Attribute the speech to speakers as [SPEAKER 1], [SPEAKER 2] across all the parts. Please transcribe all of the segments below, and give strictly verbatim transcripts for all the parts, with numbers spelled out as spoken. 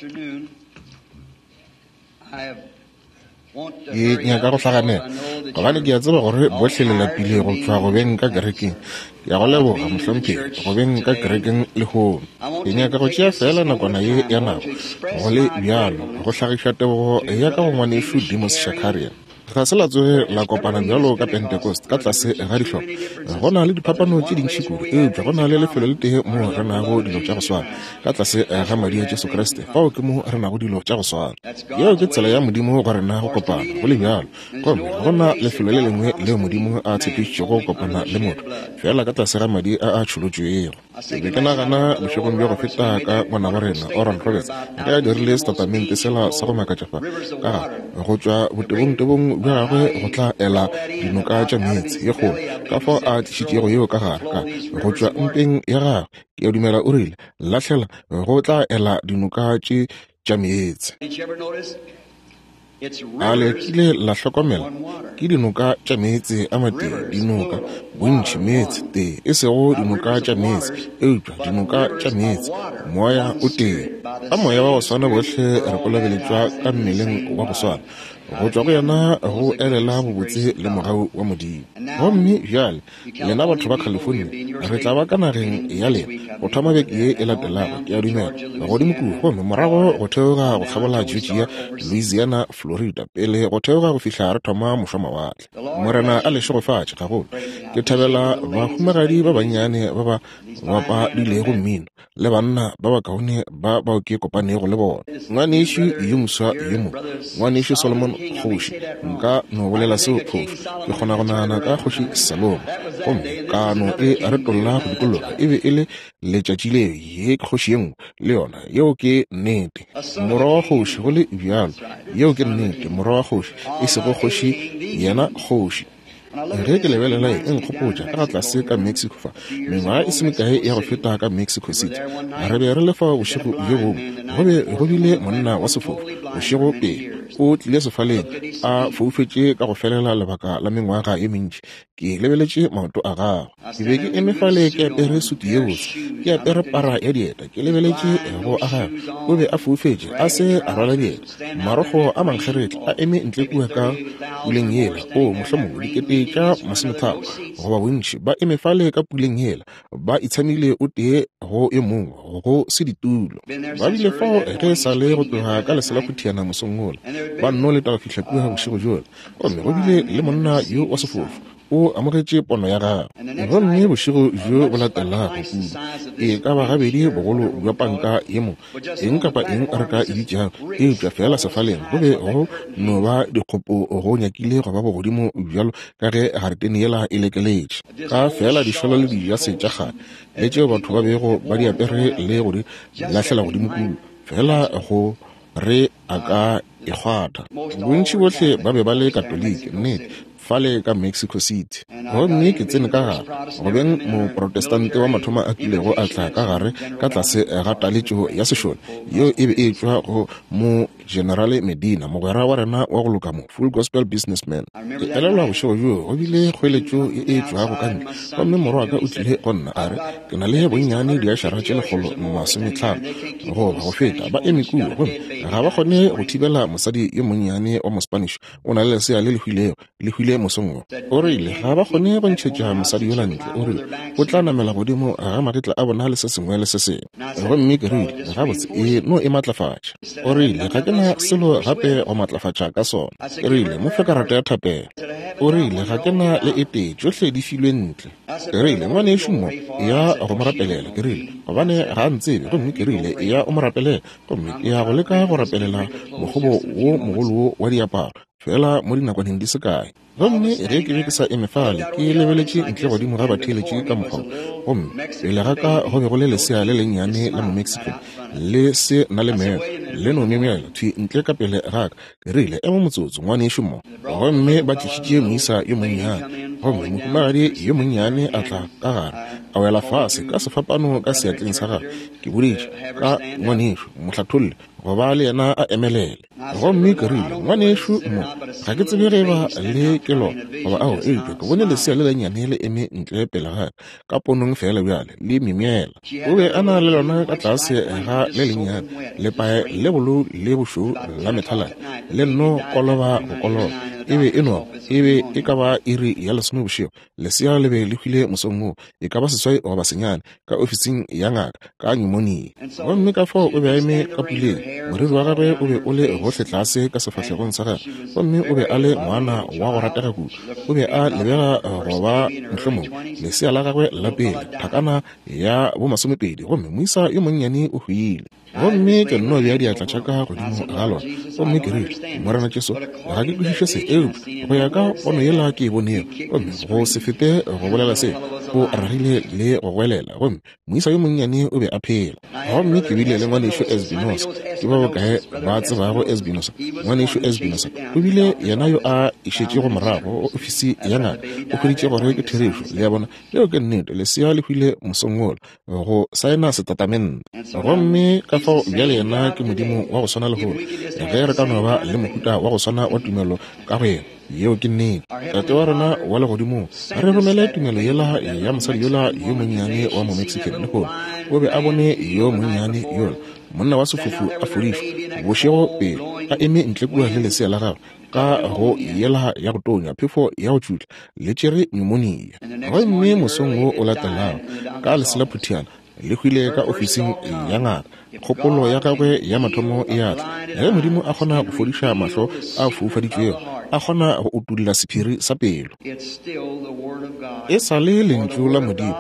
[SPEAKER 1] Ke nyaka go hlaganela gobane ke a tseba gore bohle le lapile go tšwa go beng ka kerekeng. Ke a go leboga, mohlomphegi, go beng ka kerekeng lehono. Ke nyaka go tšea feela nakwana ye ya nako go le bjalo go hlagiša tebogo ya ka go ngwanešu Demos Shakarian. Ga se la tsoge la kopana bjalo ka Pentecost ka tlase ga dihlopha. Go na le diphapano tše dintši kudu, eupša go na le lefelo le tee moo re nago dilo tša go swana, ka tlase ga madi a Jesu Kriste. Fao ke mo re nago dilo tša go swana. Yeo ke tsela ya Modimo go rena go kopana, go le bjalo. Gomme ga go na lefelo le lengwe leo Modimo a tshepišitšego go kopana le motho, feela ka tlase ga madi a a tšholotšwego. Ke be ke nagana bošegong bja go feta ka ngwanabo rena Oral Roberts ge a dirile setatamente sela sa go makatša fa, ka ga go tšwa botebongtebong bja gagwe go tla ela dinoka tša meetse ye kgolo, ka fao a tlišitšego yeo ka gare ka go tšwa mpeng ya gagwe. Ke a dumela o rile, lahlela go tla ela dinoka tše tša meetse. A le kile la hlokomela? Ke dinoka tša meetse a matee, dinoka, bontši meetse tee, e sego dinoka tša meetse, eupša dinoka tša meetse, moya o tee. Ka moya wa go swana bohle re kolobeletšwa ka mmeleng wa go swana, go tšwa go yena go elela bobotse le mogau wa Modimo. Gomme bjale lena batho ba California, re tla ba ka nageng ya lena go thoma beke ye e latelago, ke a dumela, godimo kua, gomme morago go theoga go kgabola Georgia, Louisiana, Florida, pele go theoga go fihla re thoma mošwamawatle. Morena a le šegofatše gagolo. Ke thabela bahumagadi ba bannyane ba ba bapadilego mmino le banna ba bakaone ba bao ke kopanego le bona. Ngwanešu yo moswa yo mo, ngwanešu Solomon kgoši, nka no bolela seo phošo. Ke kgona go nagana ka kgoši Salomo, gomme kano e retolla go dikologa e be e le letšatši leo ye kgoši ye nngwe le yona. Yeo ke nnete, morwa wa kgoši, go le bjalo. Yeo ke nnete, morwa wa kgoši, e sego kgoši, yena kgoši. Ge ke lebelela e nkgopotša ka ga tlase ka Mexico fa mengwaga e se mekae ya go feta ka Mexico City. Re be re le fa bošego bjo bongwe, go be go bile monna wa sefofu bošego pele o tlile sefaleng a foufetše ka go felela lebaka la mengwaga ye mentši. Ke lebeletše maoto a gagwe. Ke be ke eme fale ke apere sutu ye botse, ke apere para ya dieta, ke lebeletše go a gagwe. O be a foufetše, a se a rwala dieta, marokgo a mankgeretla a eme ntle kua ka puleng yela. O mohlomongwe dikete tša masometharo goba bontši ba eme fale ka puleng yela, ba itshamile o tee go e mongwe, go se ditulo. Ba bile fao ge e sa le go tloga ka leselaphutiana mosong wola, ba nno leta go fihla kua bošego bjola. Gomme go bile le monna yo wa sefofu, o amogetše pono ya gagwe. Gomme bošego bjo bo latelago kudu, e ka ba gabedi bogolo bja panka ye mo, eng kapa eng re ka e bitšago, eupša feela sefaleng go be go no ba dikgopo go nyakile go ba bogodimo bjalo ka ge garetene yela e lekeletše, ka feela dišolo le dijase tša kgale le tšeo batho ba bego ba di apere le go di lahlela godimo kudu, feela go re a ka e kgwatha. Bontši bohle ba be ba le Katoliki, nnete, fale ka Mexico City. Gomme ke tsene ka gare go beng moprotestante wa mathomo a kilego a tla ka gare ka tlase ga taletšo ya sešole yeo e be e tšwa go mo General Medina, mogwera wa rena wa go loka mo, Full Gospel Businessman. Ke elelwa bošego bjoo go bile kgoeletšo ye e tšwago ka ntle, gomme morwa wa ka o tlile go nna a re, ke na le bonnyane diašara tše lekgolo masometlhano goba go feta ba eme kua, gomme ga ba kgone go thibela mosadi yo monnyane wa Mospanish, o na le lesea le le hwilego, le hwile mosong wo. O rile ga ba kgone go ntšhetša mosadi yola ntle, o rile o tla namela godimo ga magetla a bona le se sengwe le se sengwe. Gomme ke rile, gabotse, e no e matlafatša. O rile ga ke na selo gape go matlafatša ka sona. Ke rile, mo fe karata ya thapelo. O rile ga ke na le e tee, tšohle di filwe ntle. Ke rile, ngwanešu mo, ya go mo rapelela. Ke rile, gobane ga a ntsebe, gomme ke rile, ya o mo rapelela, gomme ke ya go leka go rapelela mokgobo wo mogolo wo wa diaparo fela mo dinakwaneng di se kae. Gomme ge ke be ke sa eme fale ke lebeletše ntle godimo ga batheeletši ka mokgwa, gomme pele ga ka go be go le lesea le lennyane la Momexican le se na le meno, le no myemyela thwi ntle ka pele ga ka. Ke rile, ema motsotso, ngwanešu mo. Gomme ba tlišitše moisa yo monnyane, gomme mohumagadi yo monnyane a tla ka gare, a wela fase ka sefapano ka seatleng sa gagwe. Ke boditše ka ngwanešu, mohlatholle, go ba le yena a emelele. Gomme ke rile, ngwanešu mo, ga ke tsebe ge ba le ke lona goba ao, eupša ke bone lesea le lennyane le eme ntle pele ga ka, ka ponong fela bjale, le myemyela. O be a na le lona ka tlase ga le lennyane, lepae le bolou le bošweu la methaladi, le nno koloba go koloba. E be e no, e be e ka ba iri ya lesome bošego. Lesea le be le hwile mosong woo, e ka ba seswai goba senyane, ka ofising ya ngaka, ka pneumonia. Gomme ka fao o be a eme ka puleng, moriri wa gagwe o be o le gohle tlase ka sefahlegong sa gagwe, gomme o be a le ngwana wa go ratega kudu. O be a lebega go ba mohlomongwe lesea la gagwe la pele, thakana ya bomasomepedi, gomme moisa yo monnyane o hwile. Gomme ke nno bea diatla tša ka godimo ga lona, gomme ke rile, Morena Jesu, ga ke kwešiše se, eupša go ya ka pono yela ke e bonego, gomme go se fete go bolela se, o ragile le go goelela, gomme moisa yo monnyane o be a phela. Gomme ke bile le ngwanešu Espinosa. Ke ba bokae ba tsebago Espinosa? Ngwanešu Espinosa o bile yena yo a išetšego morago go ofisi ya ngaka, o hweditše gore ke therešo. Le a bona, leo ke nnete. Lesea le hwile mosong wola go saena setatamente. Gomme ka fao bjale yena ke Modimo wa go swana lehono, ge re ka no ba le mohuta wa go swana wa tumelo ka go yena. Yeo ke nnete. Tate wa rena wa legodimong, re romele tumelo yela ya mosadi yola yo monnyane wa mo-Mexican lehono. O be a bone yo monnyane yola, monna wa sefofu a fodišwa bošego pele, a eme ntle kua le lesea la gagwe ka go yela ya go tonya, phefo ya go tšutla, le tšere pneumonia. Gomme mosong wo o latelago, ka leselaphutiana le hwile ka ofising ya ngaka. Kgopolo ya gagwe ya mathomo e a tla, ge Modimo a kgona go fodiša mahlo a foufaditšwego, a kgona go utolla sephiri sa pelo. E sa le lentšu la Modimo,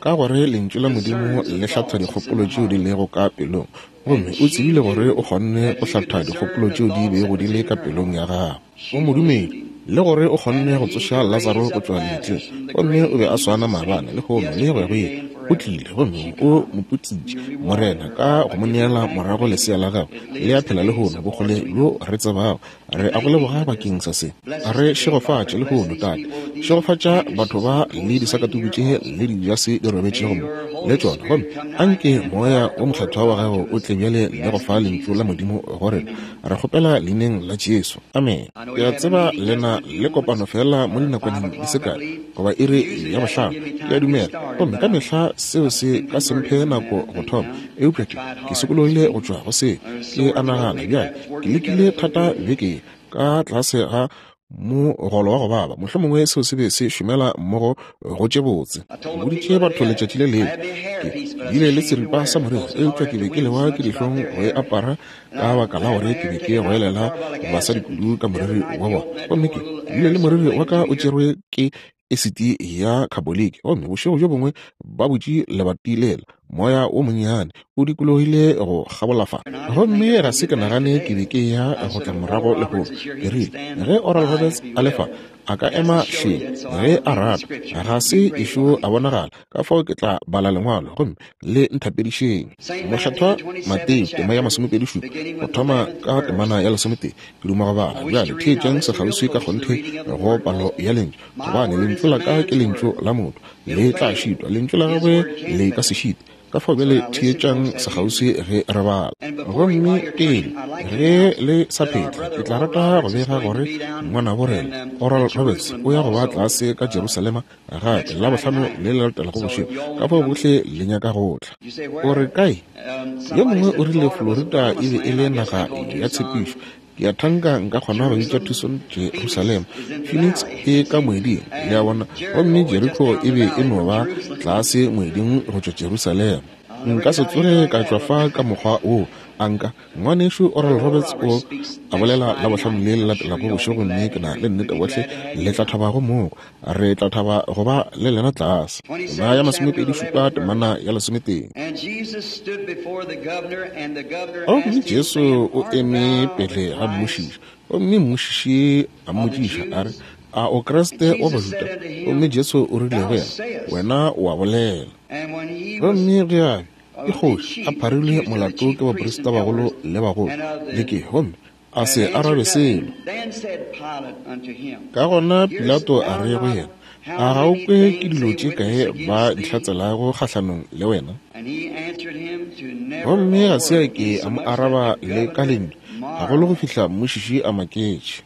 [SPEAKER 1] ka gore lentšu la Modimo le hlatha dikgopolo tšeo di lego ka pelong, gomme o tsebile gore o kgonne go hlatha dikgopolo tšeo di bego di le ka pelong ya gagwe. O modumedi, le gore o kgonne go tsoša Lazaro go tšwa lebitleng, gomme o be a swana maabane, lehono le go ya go ile. O tlile gomme o mo putsitše, Morena, ka go mo neela morago lesea la gagwe le a phela lehono, bokgole bjo re tsebago. Re a go leboga bakeng sa se. Re šegofatše lehono, Tate. Šegofatša batho ba le disakatuku tše le dijase di robetšego mo le tšona, gomme anke moya wo mokgethwa wa gago o tle bjale le go fa lentšu la Modimo go rena. Re kgopela leineng la Jesu. Amen. Ke a tseba lena le kopano fela mo dinakwaneng di se kae, goba iri ya bohlano, ke a dumela, gomme ka mehla seo se ka se mphe nako go thoma, eupša ke ke sokologile go tšwa go se. Ke a nagana bjale ke lekile thata beke ka tlase ga mogolo wa go baba, mohlomongwe seo se be se šomela mmogo go tše botse. Ke boditše batho letšatši le lengwe, ke bile le seripa sa moriri, eupša ke be ke lewa ke dihlong go e apara ka baka la gore ke be ke goelela basadi kudu ka moriri wa bona. Gomme ke bile le moriri wa ka o tšerwe ke esiti ya khaboliki, gomme bošego bjo bongwe ba butše lebati lela, moya wo monnyane o dikologile go kgabola fa, gomme ga se ke nagane ke be ke ya go tla morago lehono. Ke rile, ge Oral Roberts a le fa, a ka ema hleng ge a rata, ga se ešo a bonagala, ka fao ke tla bala lengwalo gomme le nthapedišeng. Mokgethwa Mateo tema ya masomepedi šupa, go thoma ka temana ya lesometee, ke duma go bala. Bjale theetšang sekgauswi ka kgonthe go palo ya lentšu, gobane lentšu la ka ke lentšu la motho, le tla šitwa, lentšu la gagwe le ka se šite. Ka fao bjale theetšang sekgauswi ge re bala. Gomme pele ge le sa phetla, ke tla rata go bega gore ngwanabo rena Oral Roberts o ya go ba tlase ka Jerusalema gape la bohlano le le latelago bošego. Ka fao bohle le nyaka go tla. O re kae? Yo mongwe o rile Florida e be e le naga ya tshepišo. Ke a thanka nka kgona go bitša Tucson Jerusalema. Phoenix e ka moeding, le a bona, gomme Jericho e be e no ba tlase moeding go tšwa Jerusalema. Nka se tsoge ka tšwa fa ka mokgwa wo. A nka? Ngwanešu Oral Roberts o a bolela la bohlano le le latelago bošego, mme ke na le nnete bohle le tla thaba go moko. Re tla thaba go ba le lena tlase. Ba ya masomepedi šupa temana ya lesometee. Gomme Jesu o eme pele ga mmušiši, gomme mmušiši a mmotšiša a re, a o Kriste wa Bajuda? Gomme Jesu o rile go yena, wena o a bolela. Gomme ge a be ke kgoši a pharilwe molato ke baprista bagolo le bagolo le ke, gomme a se arabe selo. Ka gona Pilato a re go yena, a ga o kwe ke dilo tše kae ba di hlatselago kgahlanong le wena? Gomme ga se a ke a mo araba le ka lentšu, gagolo go fihla mmušiši a maketše.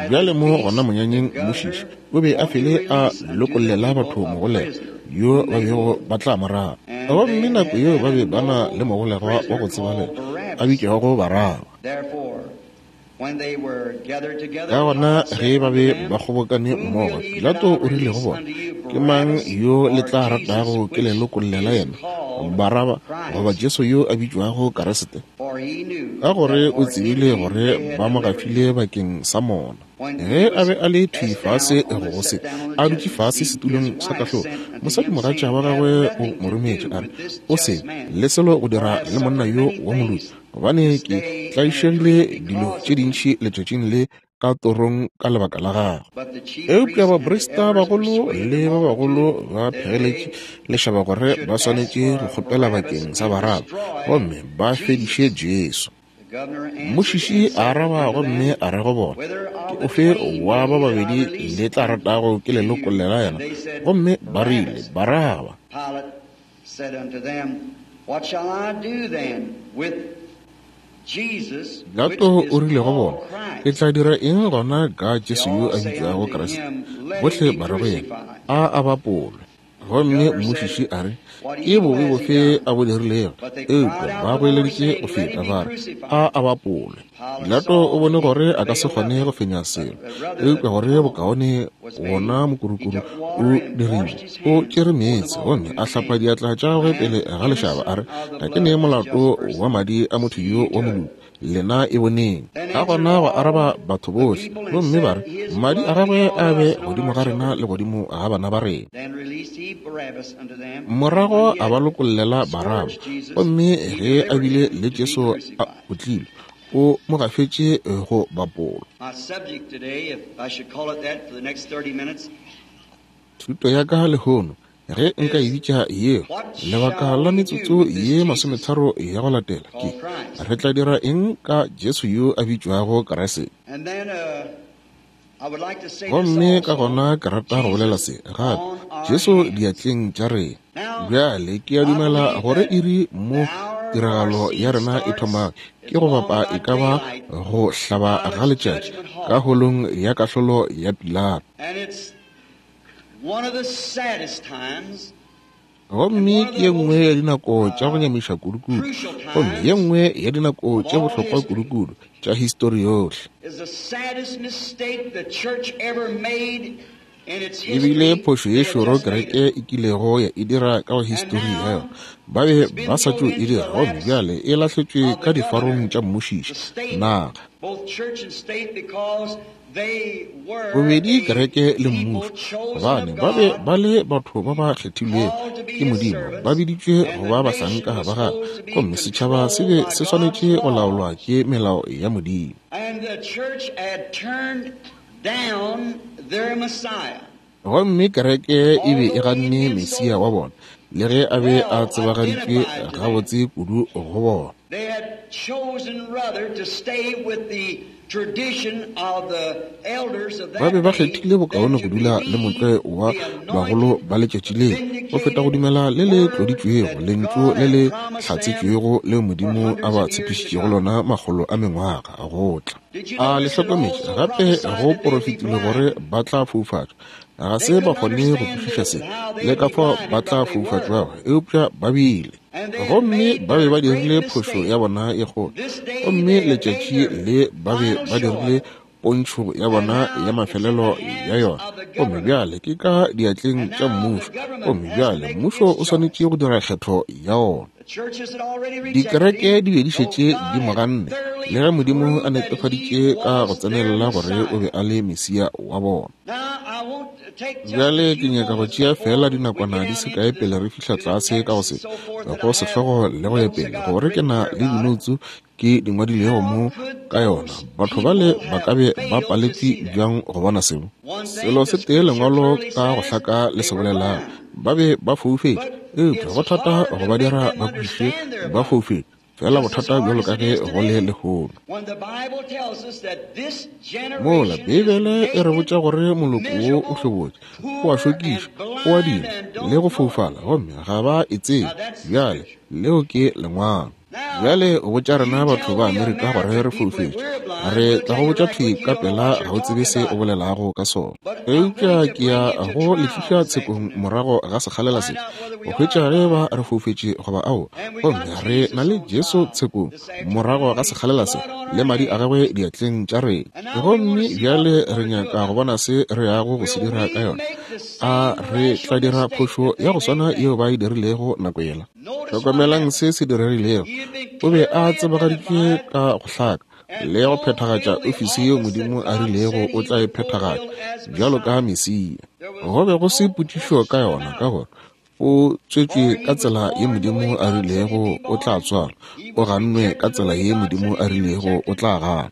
[SPEAKER 1] Bjale mo gona monyanyeng mmušiši o be a fele a lokollela batho mogolegwa yo ba bego ba tla mo rata. Gomme nako yeo ba be ba na le mogolegwa wa go tsebalega a bitšwago Baraba. Ka gona ge ba be ba kgobokane mmogo, Pilato o rile go bona, ke mang yo le tla ratago ke le lokollela yena, Baraba goba Jesu yo a bitšwago Kriste? Ka gore o tsebile gore ba mo gafile bakeng sa mona. Ge a be a le thwi fase go se, a dutše fase setulong sa kahlolo, mosadimogatša wa gagwe o mo rometše a re, o se le selo go dira le monna yo wa moloki, gobane ke tlaišegile dilo tše dintši letšatšing le ka torong ka lebaka la gagwe. Eupša baprista bagolo le ba bagolo ba phegeletše lešaba gore ba swanetše go kgopela bakeng sa Baraba gomme ba fediše Jesu. Mmušiši a araba gomme a re go bona, ke ofe wa ba babedi le tla ratago ke le lokollela yena? Gomme ba rile, Baraba. Pilato o rile go bona, ke tla dira eng gona ka Jesu yo a bitšwago Kriste? Bohle ba re go yena, a a bapolwe. Gomme mmušiši a re, ke bobe bofe a bo dirilego? Eupša ba goeleditše go feta ba re, a a bapolwe. Pilato o bone gore a ka se kgone go fenya selo, eupša gore bokaone wona mokurukuru o dirile. O tšere meetse gomme a hlapa diatla tša gagwe pele ga lešaba a re, ga ke ne molato wa madi a motho yo wa moloki, lena e boneng. Ka gona go araba batho bohle, gomme ba re, madi a gagwe a be godimo ga rena le godimo ga bana ba rena. Morago a ba lokollela Baraba, gomme ge a bile le Jesu a otlilwe, o mo gafetše go bapolwa. Thuto ya ka lehono, ge nka e bitša yeo, lebaka la metsotso ye masometharo ya go latela, ke re tla dira eng ka Jesu yo a bitšwago Kriste? Gomme ka gona ke rata go bolela se gape, Jesu diatleng tša rena. Bjale ke a dumela gore iri mo tiragalo ya rena e thoma ke go bapa e ka ba go hlaba ga letšatši ka holong ya kahlolo ya Pilato. Gomme ke ye nngwe ya dinako tša go nyamiša kudukudu, gomme ye nngwe ya dinako tše bohlokwa kudukudu tša histori yohle. Ebile phošo ye šoro kereke e kilego ya e dira ka go histori ya yona. Ba be ba sa tšo e dira, gomme bjale e lahletšwe ka difarong tša mmušiši naga. Bobedi kereke le mmušo, gobane ba be ba le batho ba ba kgethilwego ke Modimo, ba biditšwe go ba bahlanka ba gagwe, gomme setšhaba se be se swanetše go laolwa ke melao ya Modimo. Gomme kereke e be e ganne Mesia wa bona, le ge a be a tsebagaditšwe gabotse kudu go bona. Ba be ba kgethile bokaone go dula le motlwe wa bagolo ba letšatši leo go feta go dumela le le tloditšwego lentšu le le hlatsetšwego leo Modimo a ba tshepišitšego lona makgolo a mengwaga go tla. A le hlokometše gape go porofetilwe gore ba tla foufatšwa. Ga se ba kgone go kwešiša se le ka fao ba tla foufatšwago, eupša ba bile. Gomme ba be ba dirile phošo ya bona ye kgolo, gomme letšatši le ba be ba dirile pontšho ya bona ya mafelelo ya yona. Gomme bjale ke ka diatleng tša mmušo, gomme bjale mmušo o swanetše go dira kgetho ya ona. Dikereke di be di šetše di mo ganne, le ge Modimo a netefaditše ka go tsenelela gore o be a le Mesia wa bona. Bjale ke nyaka go tšea fela dinakwana di se kae pele re fihla tlase ka go se go sehlogo le go ya pele, gore ke na le dinoutsu ke di ngwadilego mo ka yona. Batho bale ba ka be ba paletše bjang go bona seo? Selo se tee lengwalo ka go hlaka le se bolelago, ba be ba foufetše, eupša go thata go ba dira ba kwešiše ba foufetše. Fela bothata bjalo ka ge go le lehono. Mola Beibele e re botša gore moloko wo o hlobotše, o a šokiša, o a dima le go foufala, gomme ga ba e tsebe. Bjale leo ke lengwalo. Bjale o botša rena batho ba Amerika gore re foufetše. Re tla go botša thwi ka pela ga o tsebe se o bolelago ka sona. Eupša ke ya go le tliša tshekong morago ga sekgalela se, go hwetša ge ba re foufetše goba ao. Gomme re na le Jesu tshekong morago ga sekgalela se, le madi a gagwe diatleng tša rena. Gomme bjale re nyaka go bona se re yago go se dira ka yona. A re tla dira phošo ya go swana yeo ba e dirilego nako yela? Hlokomelang se se diregilego. O be a tsebagaditšwe ka go hlaka le go phethagatša ofisi yeo Modimo a rilego o tla e phethagatša bjalo ka Mesia. Go be go se potšišo ka yona, ka gore o tswetšwe ka tsela ye Modimo a rilego o tla tswalwa, o gannwe ka tsela ye Modimo a rilego o tla gana.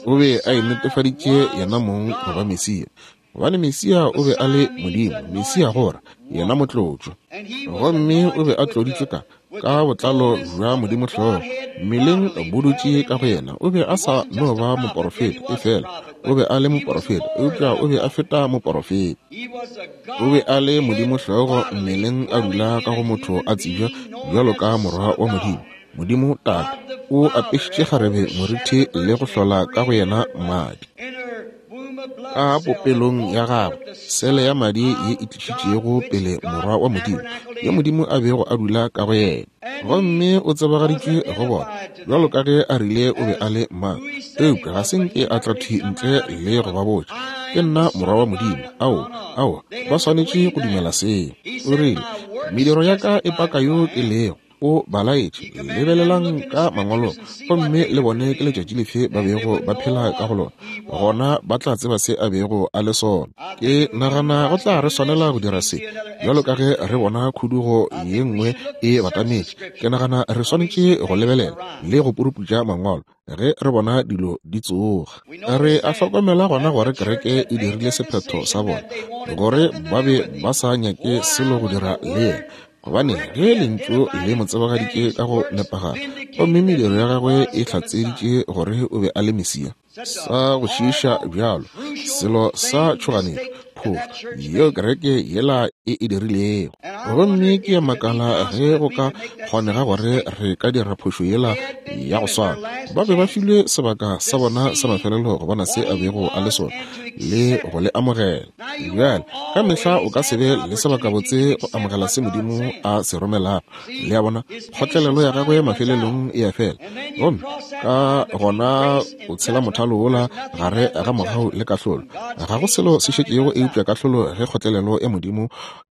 [SPEAKER 1] O be a inetefaditše yena mong go ba Mesia, gobane Mesia o be a le Modimo. Mesia gora yena motlotšwa, gomme o be a tloditšwe ka ka botlalo bja Modimo hlogo mmeleng bo dutše ka go yena. O be a sa no ba moporofeta, efela o be a le moporofeta, eupša o be a feta moporofeta. O be a le Modimo hlogo mmeleng a dula ka go motho a tsebja bjalo ka morwa wa Modimo. Modimo Tate o apešitše kgarebe moriti le go hlola ka go yena madi ka popelong ya gagwe, sele ya madi ye e tlišitšego pele morwa wa Modimo, yo Modimo a bego a dula ka go yena. Gomme o tsebagaditšwe go bona bjalo ka ge a rile o be a le mang, eupša ga se nke a tla thwi ntle le go ba botša, ke nna morwa wa Modimo. Ao, ao, ba swanetše go dumela seo. O rile, mediro ya ka e paka yo ke lego. O ba laetše, lebelelang ka mangwalong gomme le bone ke letšatši lefe ba bego ba phela ka go lona, gona ba tla tseba se a bego a le sona. Ke nagana go tla re swanela go dira se bjalo ka ge re bona khudugo ye nngwe e batametše. Ke nagana re swanetše go lebelela le go puruputša mangwalo ge re bona dilo di tsoga. Re a hlokomela gona gore kereke e dirile sephetho sa bona gore ba be ba sa nyake selo go dira le yena, gobane ge lentšu le mo tsebagaditše ka go nepagala, gomme mediro ya gagwe e hlatseditše gore o be a le Mesia. Sa go šiiša bjalo, selo sa tšhoganetšo, phošo yeo kereke yela e e dirilego. Gomme ke ya makala ge go ka kgonega gore re ka dira phošo yela ya go swana. Ba be ba filwe sebaka sa bona sa mafelelo go bona se a bego a le sona le go le amogela. Bjale ka mehla o ka se be le sebaka botse go amogela se Modimo a se romelago. Le a bona, kgotlelelo ya gagwe mafelelong e a fela, gomme ka gona o tshela mothalo wola gare ga mogau le kahlolo. Ga go selo se šetšego eupša kahlolo ge kgotlelelo ya Modimo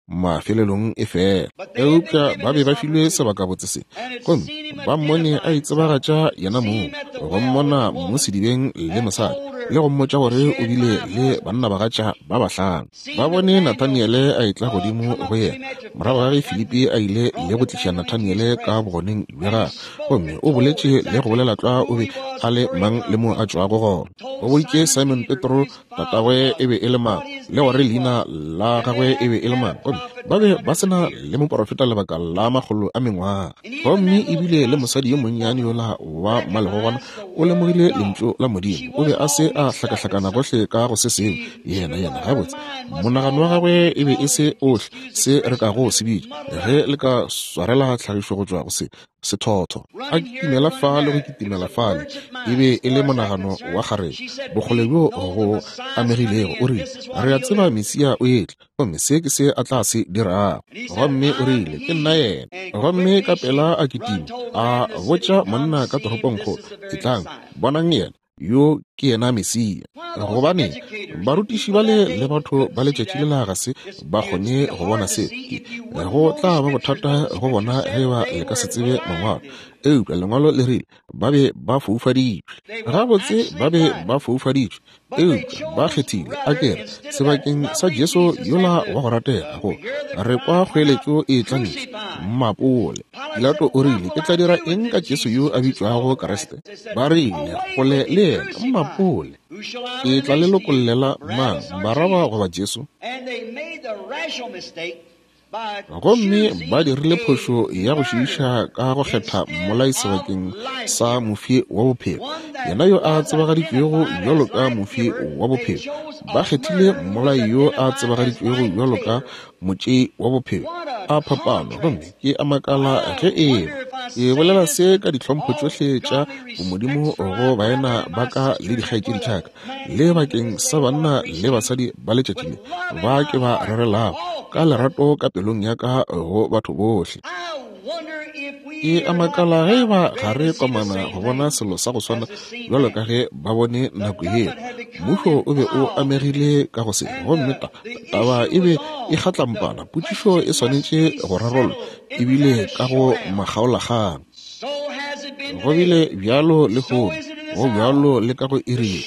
[SPEAKER 1] mafelelong e fela. Eupša ba be ba filwe sebaka botse se, gomme ba mmone a itsebagatša yena mong, go mmona mo sedibeng le mosadi, le go mmotša gore o bile le bannabagatša ba bahlano. Ba bone Nathaniele a etla godimo go yena morago ga ge Filipi a ile le go tliša Nathaniele ka bogoneng bja gagwe, gomme o boletše le go bolela tlwa o be a le mang le mo a tšwago gona. O boditše Simon Petro tatagwe e be e le mang le gore leina la gagwe e be e le mang, gomme ba be ba sena le moporofeta lebaka la makgolo a mengwaga. Gomme ebile le mosadi yo monnyane yola wa mmalegogwana o lemogile lentšu la Modimo. O be a se a hlakahlakana gohle ka go se sengwe. Yena yena gabotse monagano wa gagwe e be e se ohle se re kago se bitša, ge le ka swarela tlhagišo go tšwa go se sethotho. A kitimela fa le go kitimela fale, e be e le monagano wa kgarebe, bokgole bjo go amegilego. O rile, re a tseba Mesia o etla, gomme se ke se a tla se dirago. Gomme o rile, ke nna yena. Gomme ka pela a kitima a botša monna ka toropongkgolo, etlang bonang yena, yo ke yena Mesia. Gobane barutiši bale le batho ba letšatši lela ga se ba kgone go bona se. Go tla ba bothata go bona ge ba le ka se tsebe mangwalo, eupša lengwalo le rile ba be ba foufaditšwe. Gabotse ba be ba foufaditšwe, eupša ba kgethile a kere sebakeng sa Jesu yola wa go ratega go re kwa kgoeletšo e tla ntle mmapole. Pilato o rile, ke tla dira eng ka Jesu yo a bitšwago Kriste? Ba rile, kgole le yena, mmapole. Ke tla le lokollela mang, Baraba goba Jesu? Gomme ba dirile phošo ya go šiiša ka go kgetha mmolai sebakeng sa mofi wa bophelo, yena yo a tsebagaditšwego bjalo ka mofi wa bophelo. Ba kgethile mmolai yo a tsebagaditšwego bjalo ka motšei wa bophelo. A phapano, gomme ke a makala ge eba ke bolela se ka ditlhompho tšohle tša bomodimo go baena ba ka le dikgaetšedi tša ka, le bakeng sa banna le basadi ba letšatši le ba ke ba rerelago ka lerato ka pelong ya ka go batho bohle. Ke a makala ge eba ga re komana go bona selo sa go swana bjalo ka ge ba bone nako yeo. Mmušo o be o amegile ka go se, gomme ta taba e be e kgatlampana. Potšišo e swanetše go rarollwa ebile ka go makgaolakgang. Go bile bjalo lehono, go bjalo le ka go iri ye.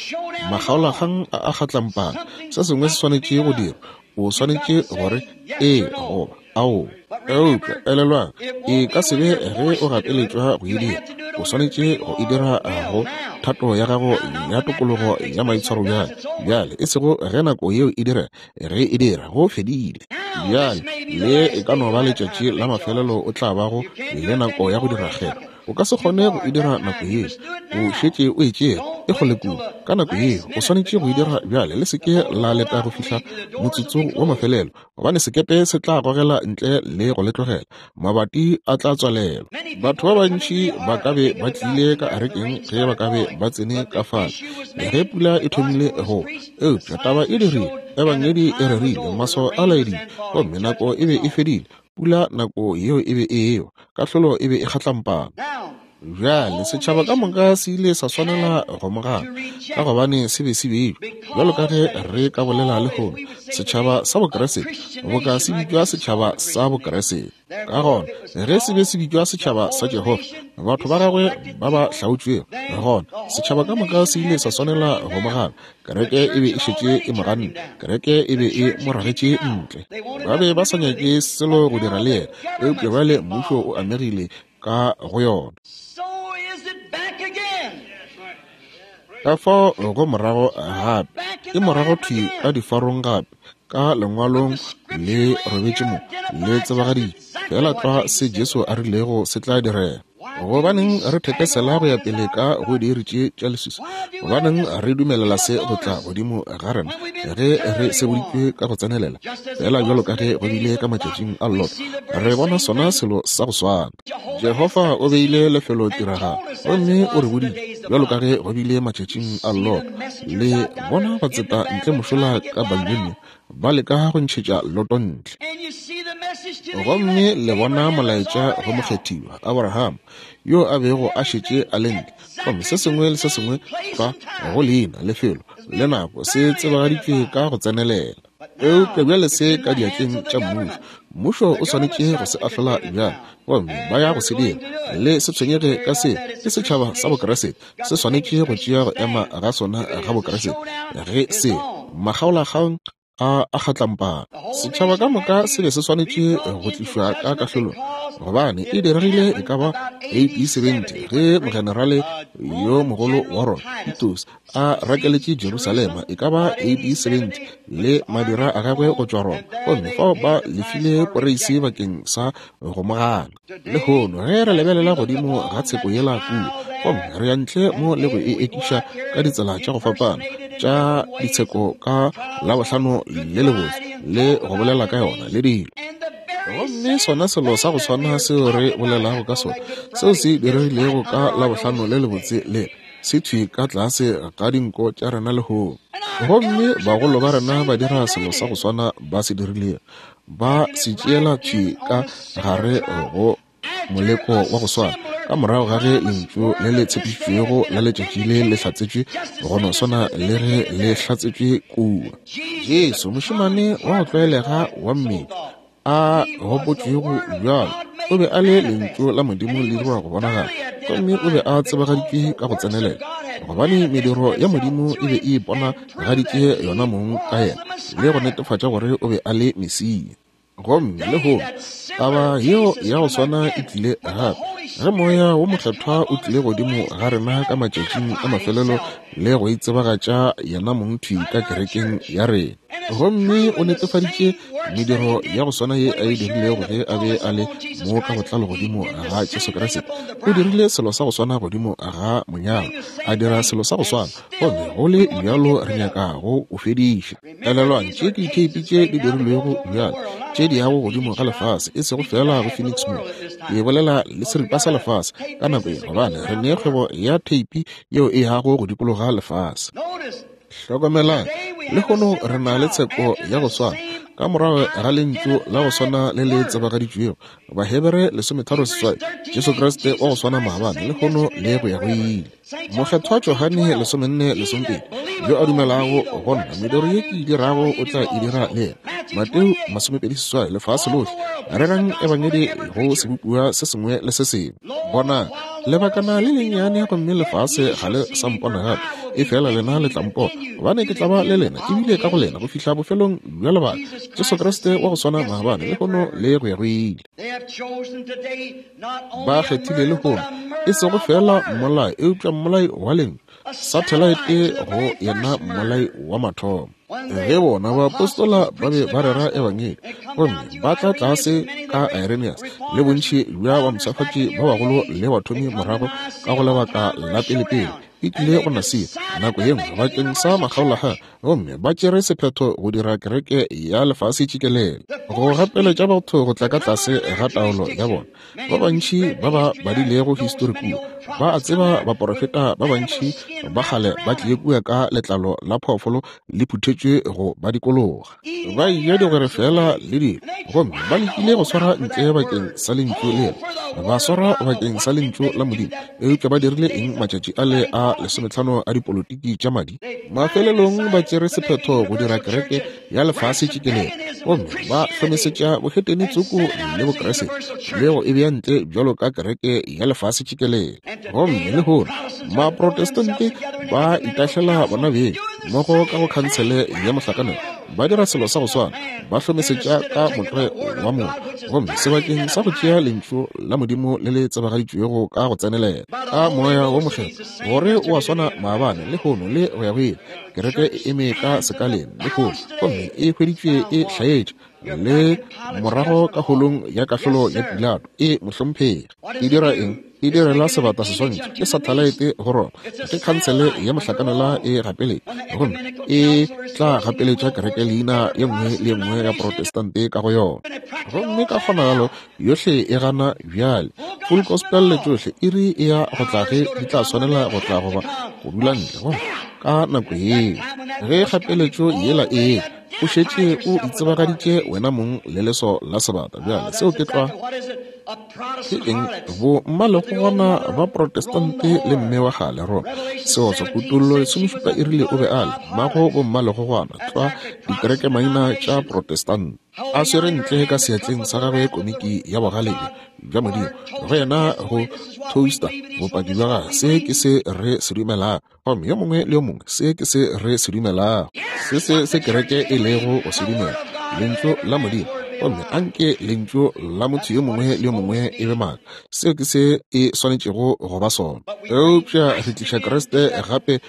[SPEAKER 1] Makgaolakgang a a kgatlampana. Se sengwe se swanetše go dirwa. O swanetše gore ee goba ao. Eupša elelwang, e ka se be ge o gapeletšwa go e dira. O swanetše go e dira go thato ya gago ya tokologo ya maitshwaro bjale. Bjale, e sego ge nako yeo e dira, ge e dira, go fedile. Bjale, le e ka no ba letšatši la mafelelo o tla bago le nako ya go dira kgetho. O ka se kgone go e dira nako yeo, o šetše o e tšere, e kgole kudu. Ka nako yeo, o swanetše go e dira bjale. Le se ke la leta go fihla motsotsong wa mafelelo, gobane sekepe se tla gogela ntle le go le tlogela. Mabati a tla tswalelwa. Batho ba bantši ba ka be ba tlile ka arekeng ge ba ka be ba tsene ka fale ge pula e thomile go. Eupša taba e dirile, ebangedi e rerile, maswao a laeditše, gomme nako e be e fedile. Pula nako yeo e be e ewa, kahlolo e be e kgatlampana. Bjale setšhaba ka moka se ile sa swanela go mo gana, ka gobane se be se beilwe bjalo ka ge re ka bolela lehono, setšhaba sa Bokreste, boka se bitšwa setšhaba sa Bokreste. Ka gona ge se be se bitšwa setšhaba sa Jehofa, batho ba gagwe ba ba hlaotšwego, gona setšhaba ka moka se ile sa swanela go mo gana. Kereke e be e šetše e mo ganne, kereke e be e mo ragetše ntle. Ba be ba sa nyake selo go dira le yena, eupša bjale mmušo o amegile ka go yona. Ka fao go morago gape, e morago thwi ka difarong gape, ka lengwalong le robetše mo, le tsebagaditše fela tlwa se Jesu a rilego se tla direga. Gobaneng re thekesela go ya pele ka go diiri tše tša leswiswi? Gobaneng re dumelela se go tla godimo ga rena ge re seboditšwe ka go tsenelela, fela bjalo ka ge go bile ka matšatšing a Lot? Re bona sona selo sa go swana. Jehofa o beile lefelo tiragalo, gomme o re boditše bjalo ka ge go bile matšatšing a Lot. Le bona batseta ntle mošola ka Babilonia ba leka go ntšhetša Loto ntle. Gomme le bona molaetša go mokgethiwa Abraham, yo a bego a šetše a le ntle, gomme se sengwe le se sengwe fa go leina, lefelo le nako se tsebagaditšwe ka go tsenelela. Eupša bjale se ka diatleng tša mmušo. Mmušo o swanetše go se ahlola bjale, gomme ba ya go se dira. Le se tshwenyege ka se, ke setšhaba sa Bokreste se swanetše go tšea go ema ga sona ga Bokreste. Ge se makgaolakgang a a kgatlampana, setšhaba ka moka se be se swanetše go tlišwa ka kahlolong, gobane e diregile e ka ba A D seventy ge mogenerale yo mogolo wa Roma Titus a rakeletše Jerusalema e ka ba A D seventy le madira a gagwe go tšwa Roma, gomme fao ba lefile poreisi bakeng sa go mo gana. Lehono ge re lebelela godimo ga tsheko yela kua, gomme re ya ntle mo le go e ekiša ka ditsela tša go fapana tša ditsheko ka Labohlano le lebotse le go bolela ka yona le dilo. Gomme sona selo sa go swana seo re bolelago ka sona, seo se diregilego ka Labohlano le lebotse le se thwi ka tlase ga dinko tša rena lehono. Gomme bagolo ba rena ba dira selo sa go swana ba se dirilego, ba se tšeela thwi ka gare go moleko wa go swana, ka morago ga ge lentšu le le tshepišitšwego la letšatši le le hlatsetšwe go no swana le ge le hlatsetšwe kua. Jesu, mošemane wa go tlwaelega wa mmele a gopotšwego bjalo, o be a le lentšu la Modimo le dirwa go bonagala, gomme o be a tsebagaditšwe ka go tsenelela, gobane mediro ya Modimo e be e iponagaditše yona mong ka yena le go netefatša gore o be a le Mesia. Gomme lehono taba yeo ya go swana e tlile gape ge moya wo mokgethwa o tlile godimo ga rena ka matšatšing a mafelelo le go itsebagatša yena mong thwi ka kerekeng ya rena, gomme o netefaditše Mediro ya go swana ye a e dirilego ge a be a le mo ka botlalo godimo ga Jesu Kriste, o dirile selo sa go swana godimo ga monyalwa, a dira selo sa go swana, gomme go le bjalo re nyaka go o fediša. Elelwang, tše ke ditheipi tše di dirilwego bjale, tše di yago godimo ga lefase, e sego fela go Phoenix mo. Ke bolela le seripa sa lefase ka nako ye, gobane re ne kgwebo ya theipi yeo e yago go dikologa lefase. Hlokomelang, lehono re na le tsheko ya go swana ka morago ga lentšu la go swana le le tsebagaditšwego, Bahebere lesometharo seswai, Jesu Kriste wa go swana maabane, lehono le go ya go ile. Mokgethwa Johane lesomenne lesomepedi, yo a dumelago go nna, mediro ye ke e dirago o tla e dira le yena. Mateo masomepedi seswai, lefase lohle rerang ebangedi go sebopiwa se sengwe le se sengwe. Bonang, lebakana le lennyane gomme lefase ga le sa mpona gape, efela lena le tla mpona, gobane ke tla ba le lena ebile ka go lena go fihla bofelong bja lebaka. Jesu Kriste wa go swana maabane, lehono le go ya go ile. Ba kgethile lehono e sego fela mmolai, eupša mmolai wa lentšu, sathelaete go yena mmolai wa mathomo. Ge bona baapostola ba be ba rera ebangedi gomme ba tla tlase ka Irenaeus le bontši bja bampshafatši ba bagolo le bathomi morago ka go lebaka la pelepele, e tlile go Nasia nako ye nngwe bakeng sa makgaolakgang, gomme ba tšere sephetho go dira kereke ya lefase tšikelele, go gapeletša batho go tla ka tlase ga taolo ya bona. Ba bantši ba ba badilego histori kua ba a tseba baporofeta ba bantši ba kgale ba tlile kua ka letlalo la phoofolo le phuthetšwe go ba dikologa, ba eja digwere fela le dilo, gomme ba lekile go swara ntle bakeng sa lentšu lela, ba swara bakeng sa lentšu la Modimo. Eupša ba dirile eng matšatši ale a lesometlhano a dipolotiki tša madi? Mafelelong ba tšere sephetho go dira kereke ya lefase tšikelele, gomme ba hlomesetša bohetene tsoko le Bokreste le go e bea ntle bjalo ka kereke ya lefase tšikelele. Gomme lehono Maprotestante ba itahlela bona beng mmogo ka go khansele ya mohlakanelo, ba dira selo sa go swana, ba hlomesetša ka motlwae wa motho, gomme sebakeng sa go tšea lentšu la Modimo le le tsebagaditšwego ka go tsenelela ka Moya wo Mokgethwa, gore o a swana maabane, lehono le go ya go ile. Kereke e eme ka sekaleng lehono, gomme e hweditšwe e hlaetše le morago ka holong ya kahlolo ya Pilato. E mohlomphegi, e dira eng? E direla sebata seswantšho, ke sathalaete go Roma, ke khansele ya mohlakanela e gapeletša, gomme e tla gapeletša kereke leina ye nngwe le ye nngwe ya Protestante ka go yona. Gomme ka kgonagalo yohle e gana bjale full gospel le tšohle iri e ya go tla ge di tla swanela go tla goba go dula ntle. Gomme ka nako yeo ge kgapeletšo yela e o šetše o itsebagaditše wena mong le leso la sebata. Bjale seo ke tlwa ke eng? Bo mmalegogwana ba Protestante le mme wa kgale Roma. Seotswa Kutollo lesomešupa e rile o be a le mmago bo mmalegogwana tlwa dikereke maina tša Protestante, a swere ntle ka seatleng sa gagwe komiki ya bogale bja Modimo, go yena go toaster bopaki bja gagwe. Se ke se re se dumelago, gomme yo mongwe le yo mongwe se ke se re se dumelago, se se se kereke e lego go se dumela, lentšu la Modimo. Gomme anke lentšu la motho yo mongwe le yo mongwe e be maaka, seo ke se e swanetšego go ba sona. Eupša re tliša Kriste gape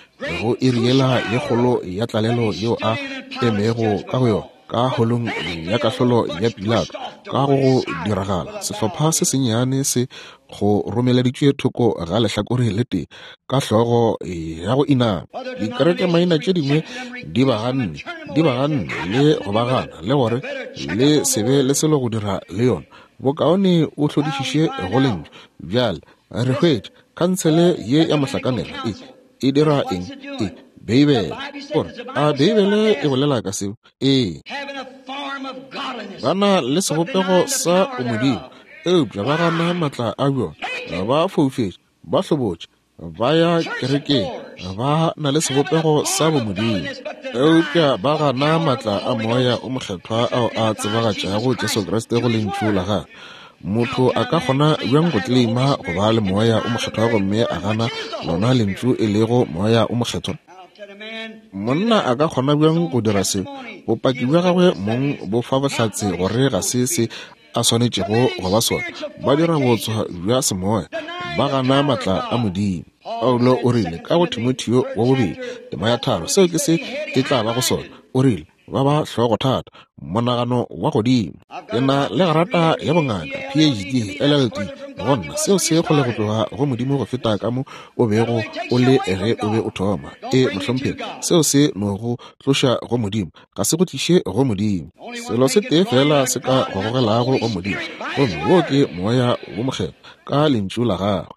[SPEAKER 1] go iri yela ye kgolo ya tlalelo yeo a emego ka go yona ka holong ya kahlolo ya Pilato. Ka go go diragala, sehlopha se sennyane se go romeleditšwe thoko ga lehlakore le tee ka hlogo ya go inama. Dikereke maina tše dingwe di ba ganne, di ba ganne le go ba gana, le gore le se be le selo go dira le yona. Bokaone o hlodišiše go lentšu. Bjale re hwetša khansele ye ya mohlakanelo e e dira eng? E Beibele. Gore a Beibele e bolela ka seo? Ee. Ba na le sebopego sa bomodimo, eupša ba gana matla a bjona. Ba foufetše, ba hlobotše, ba ya kerekeng, ba na le sebopego sa bomodimo, eupša ba gana matla a Moya o Mokgethwa ao a tsebagatšago Jesu Kriste go lentšu la gagwe. Motho a ka kgona bjang go tleleima go ba le Moya o Mokgethwa gomme a gana lona lentšu e lego Moya o Mokgethwa? Monna a ka kgona bjang go dira se? Bopaki bja gagwe mong bo fa bohlatse gore ga se se a swanetšego go ba sona. Ba dira bootswa bja semoya, ba gana matla a Modimo. Paulo o rile ka go Timotheo wa bobedi tema ya tharo, seo ke se e tla ba go sona. O rile ba ba hlogothata, monagano wa godimo. Ke na le grata ya bongaka, P H D, L L D, go nna seo se kgole go tloga go Modimo go feta ka mo o bego o le ge o be o thoma. E mohlomphegi, seo se no go tloša go Modimo, ga se go tliše go Modimo. Selo se tee fela se ka go gogelago go Modimo, gomme wo ke Moya wo Mokgethwa ka lentšu la gagwe.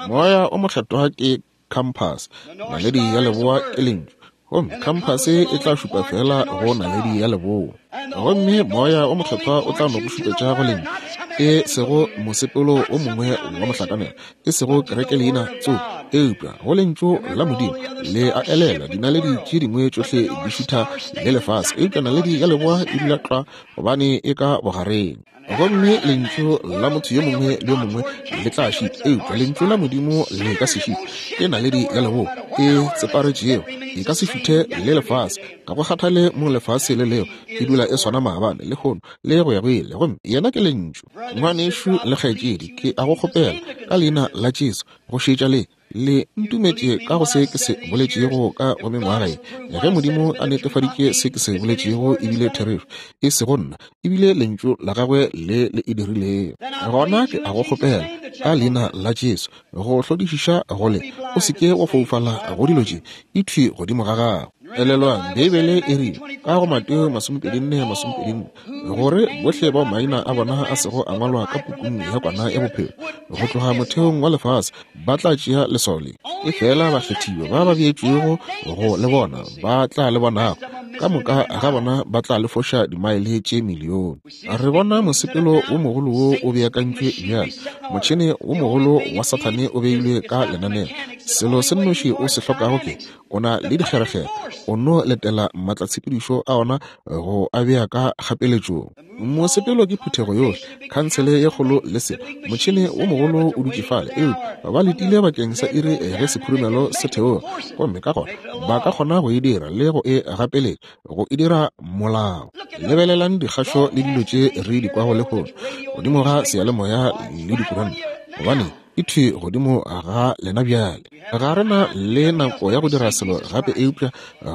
[SPEAKER 1] Moya o Mokgethwa ke compass, naledi ya leboa ke lentšu, gomme compass e tla šupa fela go naledi ya leboa. Gomme Moya o Mokgethwa o tla no go šupetša go lentšu, e sego mosepelo o mongwe wa mohlakanelo, e sego kereke leina tso, eupša go lentšu la Modimo. Le a elelwa, dinaledi tše dingwe tšohle di šutha le lefase, eupša naledi ya leboa e dula tlwa gobane e ka bogareng. Gomme lentšu la motho yo mongwe le yo mongwe le tla šita, eupša lentšu la Modimo le ka se šite. Ke naledi ya leboa e tseparetšego, e ka se šuthe le lefase, ga go kgathale mo lefase le leo, e dula e swana maabane, lehono le go ya go ile. Gomme yena ke lentšu. Ngwanešu le kgaetšedi, ke a go kgopela ka leina la Jesu go šetša le le ntumetše ka go se ke se boletšego ka go mengwaga ye. Ge Modimo a netefaditše se ke se boletšego ebile therešo, e sego nna, ebile lentšu la gagwe le le e dirilego, gona ke a go kgopela ka leina la Jesu go hlodišiša go le, o se ke wa foufala go dilo tše, e thwi godimo ga gago. Elelwang, Beibele e rile ka go Mateo masomepedi nne masomepedi nne gore bohle bao maina a bona a sego a ngwalwa ka pukung ya kwana ya bophelo go tloga motheong wa lefase ba tla tšea leswao le. E fela bakgethiwa ba ba beetšwego go le bona ba tla le bonago, ka moka ga bona ba tla le foša dimaele tše milione. Re bona mosepelo wo mogolo wo o beakantšwe bjale, motšhene wo mogolo wa Sathane o beilwe ka lenaneo. Selo se nnoši o se hlokago ke o na le dikgerekgere, o no letela maatlatshepedišo a ona go a bea ka kgapeletšong. Mosepelo ke phuthego yohle, khansele ye kgolo le se motšhene wo mogolo o dutše fale, eupša ba letile bakeng sa iri ge sekhurumelo se theoga, gomme ka gona ba ka kgona go e dira le go e gapeletša, go e dira molao. Lebelelang dikgašo le dilo tše re di kwago lehono godimo ga seyalemoya le dikuranta, gobane e thwi godimo ga lena bjale. Ga re na le nako ya go dira selo gape eupša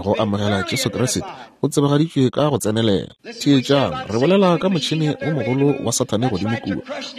[SPEAKER 1] go amogela Jesu Kriste o tsebagaditšwe ka go tsenelela. Theetšang, re bolela ka motšhene wo mogolo wa Sathane godimo kua,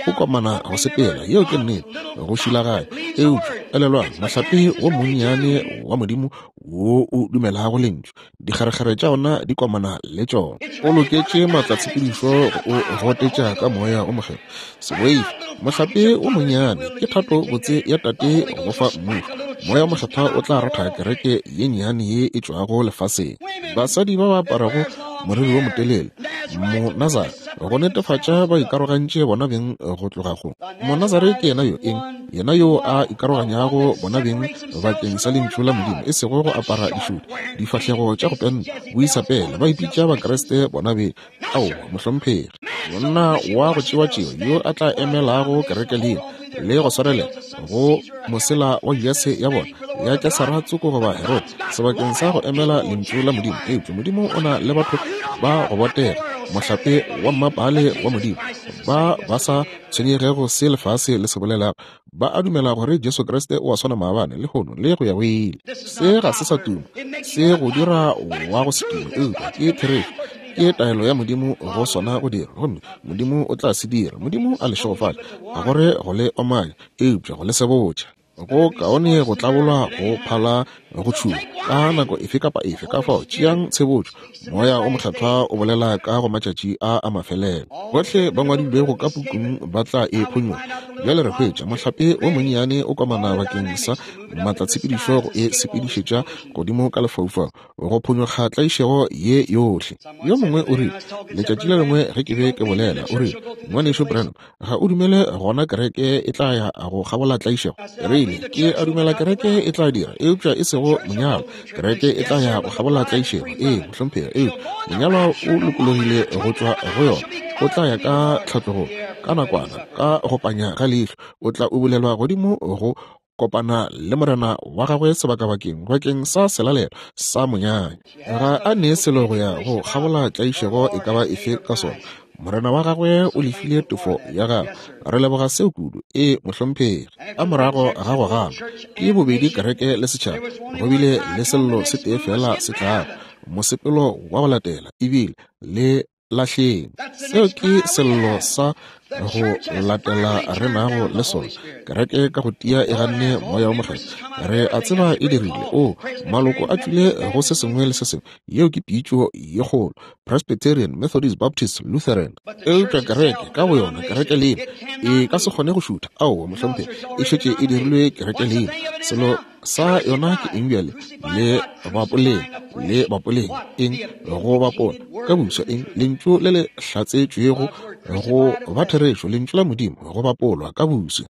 [SPEAKER 1] o komana go sepela, yeo ke nnete, go šilaganya. Eupša elelwang, mohlape wo monnyane wa Modimo wo o dumelago lentšu, dikgerekgere tša ona di komana le tšona. O loketše maatlatshepedišo go o gotetša ka Moya o Mokgethwa. Se boife, mohlape wo monnyane ke thato botse ya Tate go fa mmušo. Moya o Mokgethwa o tla ratha kereke ye nnyane ye e tšwago lefaseng. Basadi ba ba aparago moriri wo motelele, Monazare, go netefatša ba ikarogantše bona beng go tloga go Monazare. Ke yena yo eng? Yena yo a ikaroganyago bona beng bakeng sa lentšu la Modimo, e sego go apara dišuti, difahlego tša go penta, boisapele, ba ipitša Bakriste bona beng. Aowa, mohlomphegi. Monna wa go tšewa-tšewa yo a tla emelago kereke leina le go swarelela go mosela wa Judase ya bona ya Kesara tsoko goba Herode sebakeng sa go emela lentšu la Modimo. Eupša Modimo o na le batho ba go botega, mohlape wa mmapale wa Modimo, ba ba sa tshwenyegego se lefase le se bolelago. Ba a dumela gore Jesu Kriste o a swana maabane, lehono le go ya go ile. Se ga se sa tuma, se go dira wa go se tuma, eupša ke therešo. Ke taelo ya Modimo go sona go dira, gomme Modimo o tla se dira. Modimo a le šegofatše, ga gore go le omanya, eupša go le sebotša. Go kaone go tlabolwa go phala go tšhuma ka nako efe kapa efe. Ka fao tšeang tshebotšo, Moya o Mokgethwa o bolela ka go matšatši a a mafelelo. Bohle ba ngwadilwego ka pukung ba tla e phonyokga. Bjale re hwetša mohlape wo monnyane o komana bakeng sa maatlatshepedišo go e sepedišetša godimo ka lefaufau go phonyokga tlaišego ye yohle. Yo mongwe o rile letšatši le lengwe ge ke be ke bolela, o rile, Ngwanešu Branham, ga o dumele gona kereke e tla ya go kgabola tlaišego? Re ke a dumela kereke e tla dira, eupša e sego monyalwa. Kereke e tla ya go kgabola tlaišego, ee mohlomphegi, eupša monyalwa o lokologile go tšwa go yona. O tla ya ka tlhatlogong ka nakwana, ka go panya ga leihlo, o tla ubulelwa godimo go kopana le morena wa gagwe sebakabakeng bakeng sa selalelo sa monyanya. Ga a nee selo go ya go kgabola tlaišego e ka ba efe ka sona. Morena wa gagwe o lefile tefo ya gagwe. Re leboga seo kudu. E mohlomphegi. Ka morago ga go gana ke bobedi kereke le setšhaba, go bile le sello se tee fela se tlago. Mosepelo wa go latela ebile le lahleng. Seo ke sello sa go latela re nago le sona. Kereke ka go tia e ganne Moya wo Mokgethwa. Re a tseba e dirile. O maloko a tšwile go se sengwe le se sengwe. Yeo ke pitšo ye kgolo. Presbyterian, Methodist, Baptist, Lutheran. Eupša kereke ka go yona, kereke leina e ka se kgone go šutha. Aowa, mohlomphegi, e šetše e dirilwe kereke leina. Selo sa yona ke eng bjale? Le bapoleng, le bapoleng eng? Go bapola ka busa eng? Lentšu le le hlatsetšwego go ba therešo, lentšu la Modimo go bapolwa ka busa.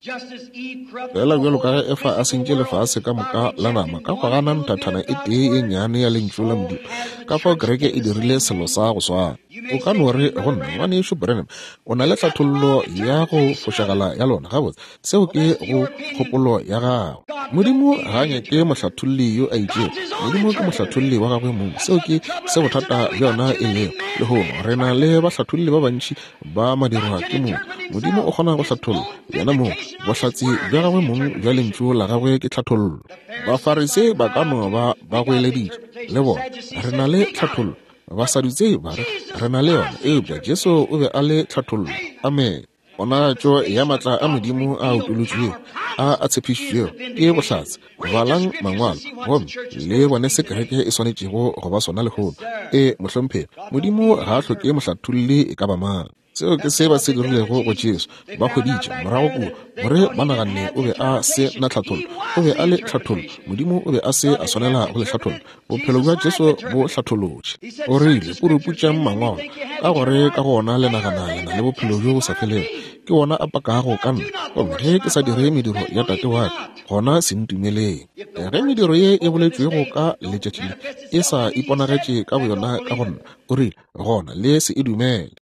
[SPEAKER 1] Fela bjalo ka ge Efa a sentše lefase ka moka la nama ka go gana nthathana e tee ye nnyane ya lentšu la Modimo, ka fao kereke e dirile selo sa go swana. O ka no re go nna, ngwanešu Branham, o na le hlathollo ya go fošagala ya lona. Gabotse, seo ke go kgopolo ya gago. Modimo ga a nyake mohlatholli yo a itšego. Modimo ke mohlatholli wa gagwe mong. Seo ke se bothata bja yona e lego lehono. Re na le bahlatholli ba bantši ba madirwa ke mong. Modimo o kgona go hlatholla yena mong. Bohlatse bja gagwe mong bja lentšu la gagwe ke tlhathollo. Bafarisei ba ka no ba ba goeleditše le bona, re na le tlhathollo. Basadutsei ba re, re na le yona. Eupša Jesu o be a le tlhathollo. Amen. Ponagatšo ya matla a Modimo a utolotšwego a a tshepišitšwego ke bohlatse. Balang mangwalo gomme le bone se kereke e swanetšego go ba sona lehono. E, mohlomphegi, Modimo ga a hloke mohlatholli e ka ba mang. Seo ke se ba se dirilego go Jesu. Ba hweditše morago kua gore ba naganne o be a se na tlhathollo. O be a le tlhathollo. Modimo o be a se a swanela go le hlatholla. Bophelo bja Jesu bo hlatholotše. O rile, puruputšang mangwalo, ka gore ka go ona le nagana le na le bophelo bjo bo sa felego. Ke wona a pakago ka nna. Gomme ge ke sa dire mediro ya Tate wa ka, gona se ntumeleng. Ge mediro ye e boletšwego ka letšatši le e sa iponagetše ka boyona ka go nna, o rile, gona le se e dumele.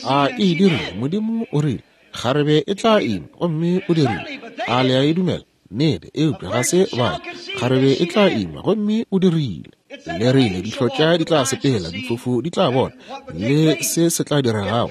[SPEAKER 1] A e dirile? Modimo o rile, kgarebe e tla ima, gomme o dirile. A le a e dumela? Nnete, eupša ga se ba. Kgarebe e tla ima, gomme o dirile. Le rile dihlotša di tla sepela, difofu di tla bona, le se se tla diregago.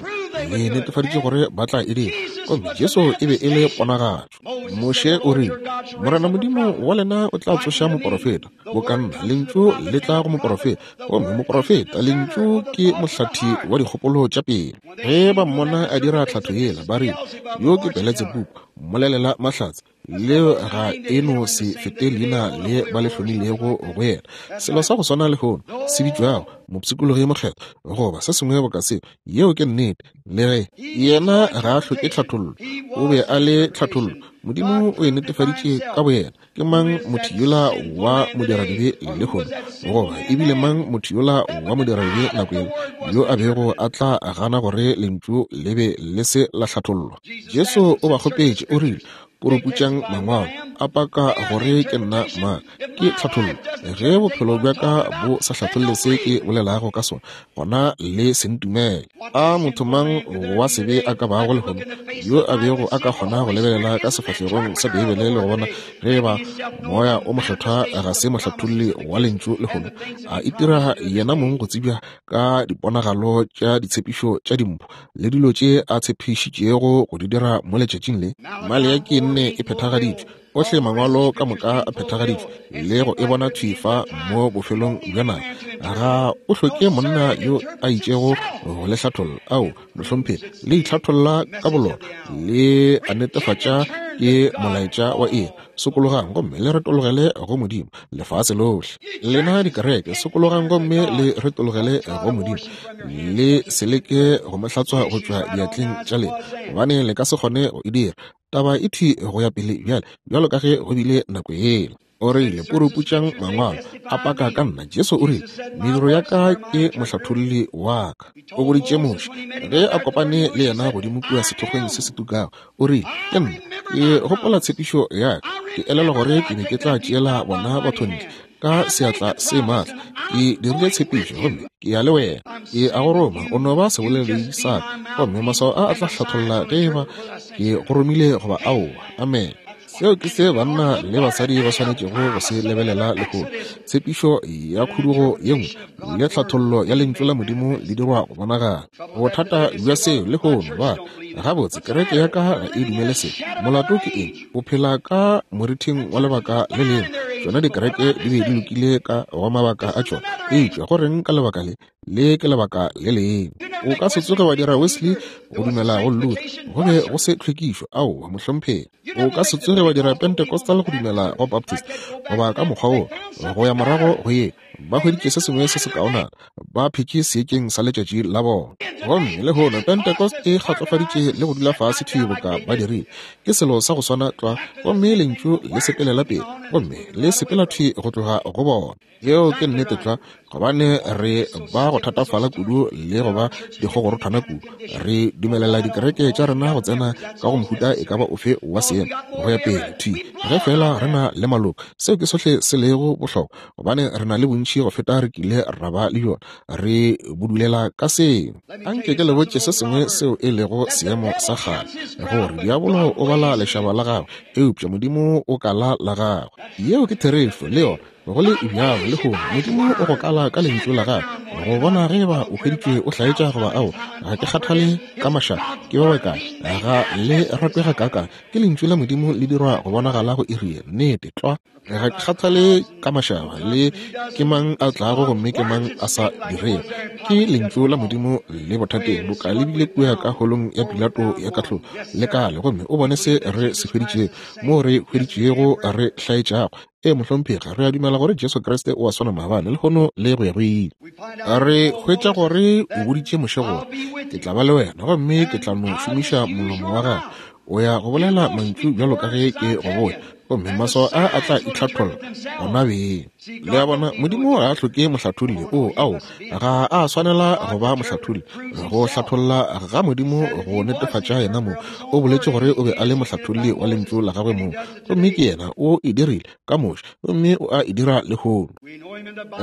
[SPEAKER 1] Le netefaditše gore ba tla e dira. Gomme Jesu e be e le ponagatšo. Moshe o rile, Morena Modimo wa lena o tla tsoša moporofeta boka nna. Lentšu le tla go moporofeta, gomme moporofeta, lentšu ke mohlathi wa dikgopolo tša pele. Ge ba mmona a dira tlhatho yela, ba rile, yo ke Beletsebubu, mmolelela mahlatse. Leo ga e no se fete leina le ba le hlomilego go yena. Selo sa go swana lehono se bitšwago mopshikologi mokgethwa goba se sengwe boka seo. Yeo ke nnete. Le ge yena ga a hloke tlhathollo, o be a le tlhathollo. Modimo o e netefaditše ka boyena. Ke mang motho yola wa modiradibe lehono, goba ebile mang motho yola wa modiradibe nako yela yo a bego a tla gana gore lentšu le be le se la hlathollwa? Jesu o ba kgopetše, o rile, puruputšang mangwalo a paka gore ke nna mang. Ke tlhathollo. Ge bophelo bja ka bo sa hlatholle se ke bolelago ka sona, gona le se ntumele. A motho mang wa sebe a ka bago lehono yo a bego a ka kgona go lebelela ka sefahlegong sa Beibele le go bona ge ba Moya o Mokgethwa ga se mohlatholli wa lentšu lehono, a itira yena mong go tsebja ka diponagalo tša ditshepišo tša dimpho le dilo tše a tshepišitšego go di dira mo letšatšing le? Maleaki nne e phethagaditšwe, ohle mangwalo ka moka a phethagaditšwe, le go e bona thwi fa mo bofelong bja nako. Ga o hloke monna yo a itšego go le hlatholla. Ao, mohlomphegi, le itlhatholla ka bolona, le a netefatša ke molaetša wa eng. Sokologang gomme le retologele go Modimo, lefase lohle. Lena dikereke, sokologang gomme le retologele go Modimo. Le se leke go mo hlatswa go tšwa diatleng tša lena, gobane le ka se kgone go e dira. Taba e thwi go ya pele bjale, bjalo ka ge go bile nako yela. O rile, puruputšang mangwalo a paka ka nna. Jesu o rile, mediro ya ka ke mohlatholli wa ka. O boditše Moshe ge a kopane le yena godimo kua sethokgweng se se tukago. O rile, ke nna, ke gopola tshepišo ya ka, ke elelwa gore ke be ke tla tšeela bona batho ntle ka seatla se maatla. Ke dirile tshepišo gomme ke ya le wena. Ke a go roma, o no ba seboledi sa ka, gomme maswao a a tla hlatholla ge eba ke go romile goba aowa. Amen. Seo ke se banna le basadi ba swanetšego go se lebelela lehono. Tshepišo ya khudugo ye nngwe le tlhathollo ya lentšu la Modimo le dirwa go bonagala. Bothata bja seo lehono ba gabotse kereke ya ka ga e dumele se. Molato ke eng? O phela ka morithing wa lebaka le lengwe. Tšona dikereke di be di lokile ka go mabaka a tšona, eupša go reng ka lebaka le? Le ke lebaka le lengwe. O ka se tsoge wa dira Wesley go dumela go Luther, go be go se tlhwekišo, aowa mohlomphegi. O ka se tsoge wa dira Pentecostal go dumela go Baptist, goba ka mokgwa wo go ya morago go ye. Ba hweditše se sengwe se se kaonana, ba phetše seetšeng sa letšatši la bona. Gomme lehono Pentecost e kgatlofaditše le go dula fase thwi boka ba dirile. Ke selo sa go swana tlwa, gomme lentšu le sepelela pele, gomme le sepela thwi go tloga go bona. Yeo ke nnete tlwa, gobane re ba go thatafala kudu le go ba dikgogorothwana kudu. Re dumelela dikereke tša rena go tsena ka go mohuta e ka ba ofe wa seemo go ya pele thwi, ge fela re na le maloko. Seo ke sohle se lego bohlokwa, gobane re na le bontši go feta re kile ra ba le yona. Re budulela ka seo. Anke ke le botše se sengwe seo e lego seemo sa kgale, gore diabolo o bala lešaba la gagwe, eupša Modimo o kala la gagwe. Yeo ke therešo le yona. Go le bjalo lehono, Modimo o go kala ka lentšu la gagwe go bona ge eba o hweditšwe o hlaetša goba ao. Ga ke kgathale ka mašaba ke ba bakae, ga le ratwega kaakang, ke lentšu la Modimo le dirwa go bonagala go iri ye. Nnete tlwa. Ga ke kgathale ka mašaba le ke mang a tlago gomme ke mang a sa dirego, ke lentšu la Modimo le bothateng boka le bile kua ka holong ya Pilato ya kahlolo le kale, gomme o bone se re se hweditšego, moo re hweditšego re hlaetšago. E mohlomphegi, re a dumela gore Jesu Kriste o a swana maabane, lehono le go ya go ile. Re hwetša gore o boditše Moshe gore, ke tla ba le wena, gomme ke tla no šomiša molomo wa gago. O ya go bolela mantšu bjalo ka ge ke go botša, gomme maswao a a tla itlhatholla gona beng. Le a bona, Modimo ga a hloke mohlatholli. O, ao, ga a swanela go ba mohlatholli. Go hlatholla ga Modimo go netefatša yena mong. O boletše gore o be a le mohlatholli wa lentšu la gagwe mong, gomme ke yena o e dirile ka Moshe, gomme o a e dira lehono.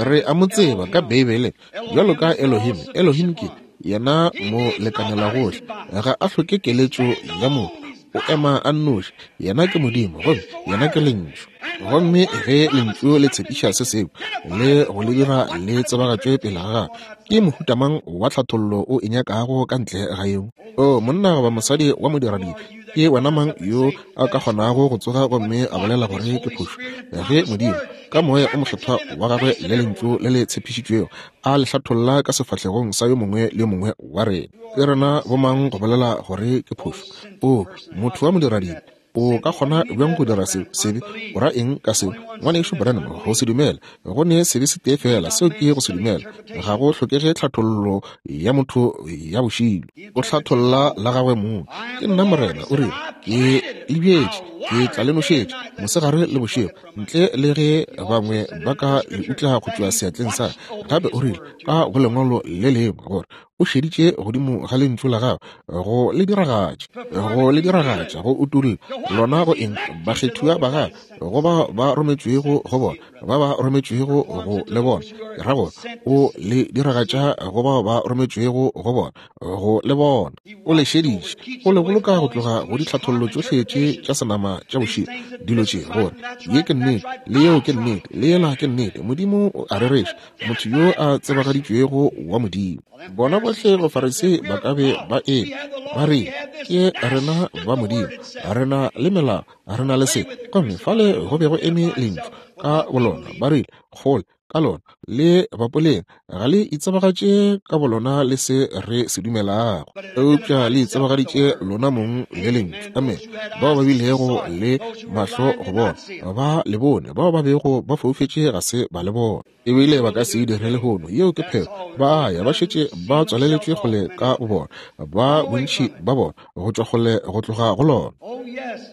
[SPEAKER 1] Re a mo tseba ka Beibeleng bjalo ka Elohim. Elohim ke yena mo lekanela gohle, ga a hloke keletšo ya motho. O ema a nnoši, yena ke Modimo, gomme yena ke lentšu. Gomme ge lentšu le tshepiša se sengwe le go le dira le tsebagatšwe pele ga gagwe, ke mohuta mang wa tlhathollo o e nyakago ka ntle ga yeo? O monna goba mosadi wa modiradibe, ke wena mang yo a ka kgonago go tsoga gomme a bolela gore ke phošo, ge Modimo ka moya o mokgethwa wa gagwe le lentšu le le tshepišitšwego a le hlatholla ka sefahlegong sa yo mongwe le yo mongwe wa rena? Ke rena bomang go bolela gore ke phošo? O motho wa modiradibe, o ka kgona bjang go dira se sebe? O ra eng ka seo, ngwanešu Branham? Go se dumele go ne sebe se tee fela, seo ke go se dumela. Ga go hlokege tlhathollo ya motho ya bošilo. O hlatholla la gagwe mong. Ke nna Morena, o rile, ke le bjetše, ke tla le nošetša mosegare le bošego, ntle le ge bangwe ba ka le utla go tšwa seatleng sa. Gape o rile ka go lengwalo le lengwe gore o šeditše godimo ga lentšu la gagwe go le diragatša, go le diragatša, go utolla lona go eng? Bakgethiwa ba gagwe, go ba ba rometšwego go bona, ba ba rometšwego go le bona. Ke ra gore o le diragatša go bao ba rometšwego go bona, go le bona. O le šeditše, o le boloka go tloga go ditlhathollo tšohle tše tša senama tša bošego, dilo tše gore ye ke nnete, le yeo ke nnete, le yela ke nnete. Modimo o a rereša, motho yo a tsebagaditšwego wa Modimo. Bona bohle Bafarisei ba ka be ba eme ba re, ke rena ba Modimo, re na le melao, re na le se. Gomme fale go be go eme lentšu ka bolona, ba rile, kgole ka lona le bapoleng, ga le itsebagatše ka bolona le se re se dumelago, eupša le itsebagaditše lona mong le lentšu. Amen. Bao ba bilego le mahlo go bona ba le bone, bao ba bego ba foufetše ga se ba le bona, ebile ba ka se e dire lehono. Yeo ke phelo. Ba ya ba šetše ba tswaleletšwe kgole ka bo bona, ba bontši ba bona go tšwa kgole go tloga go lona.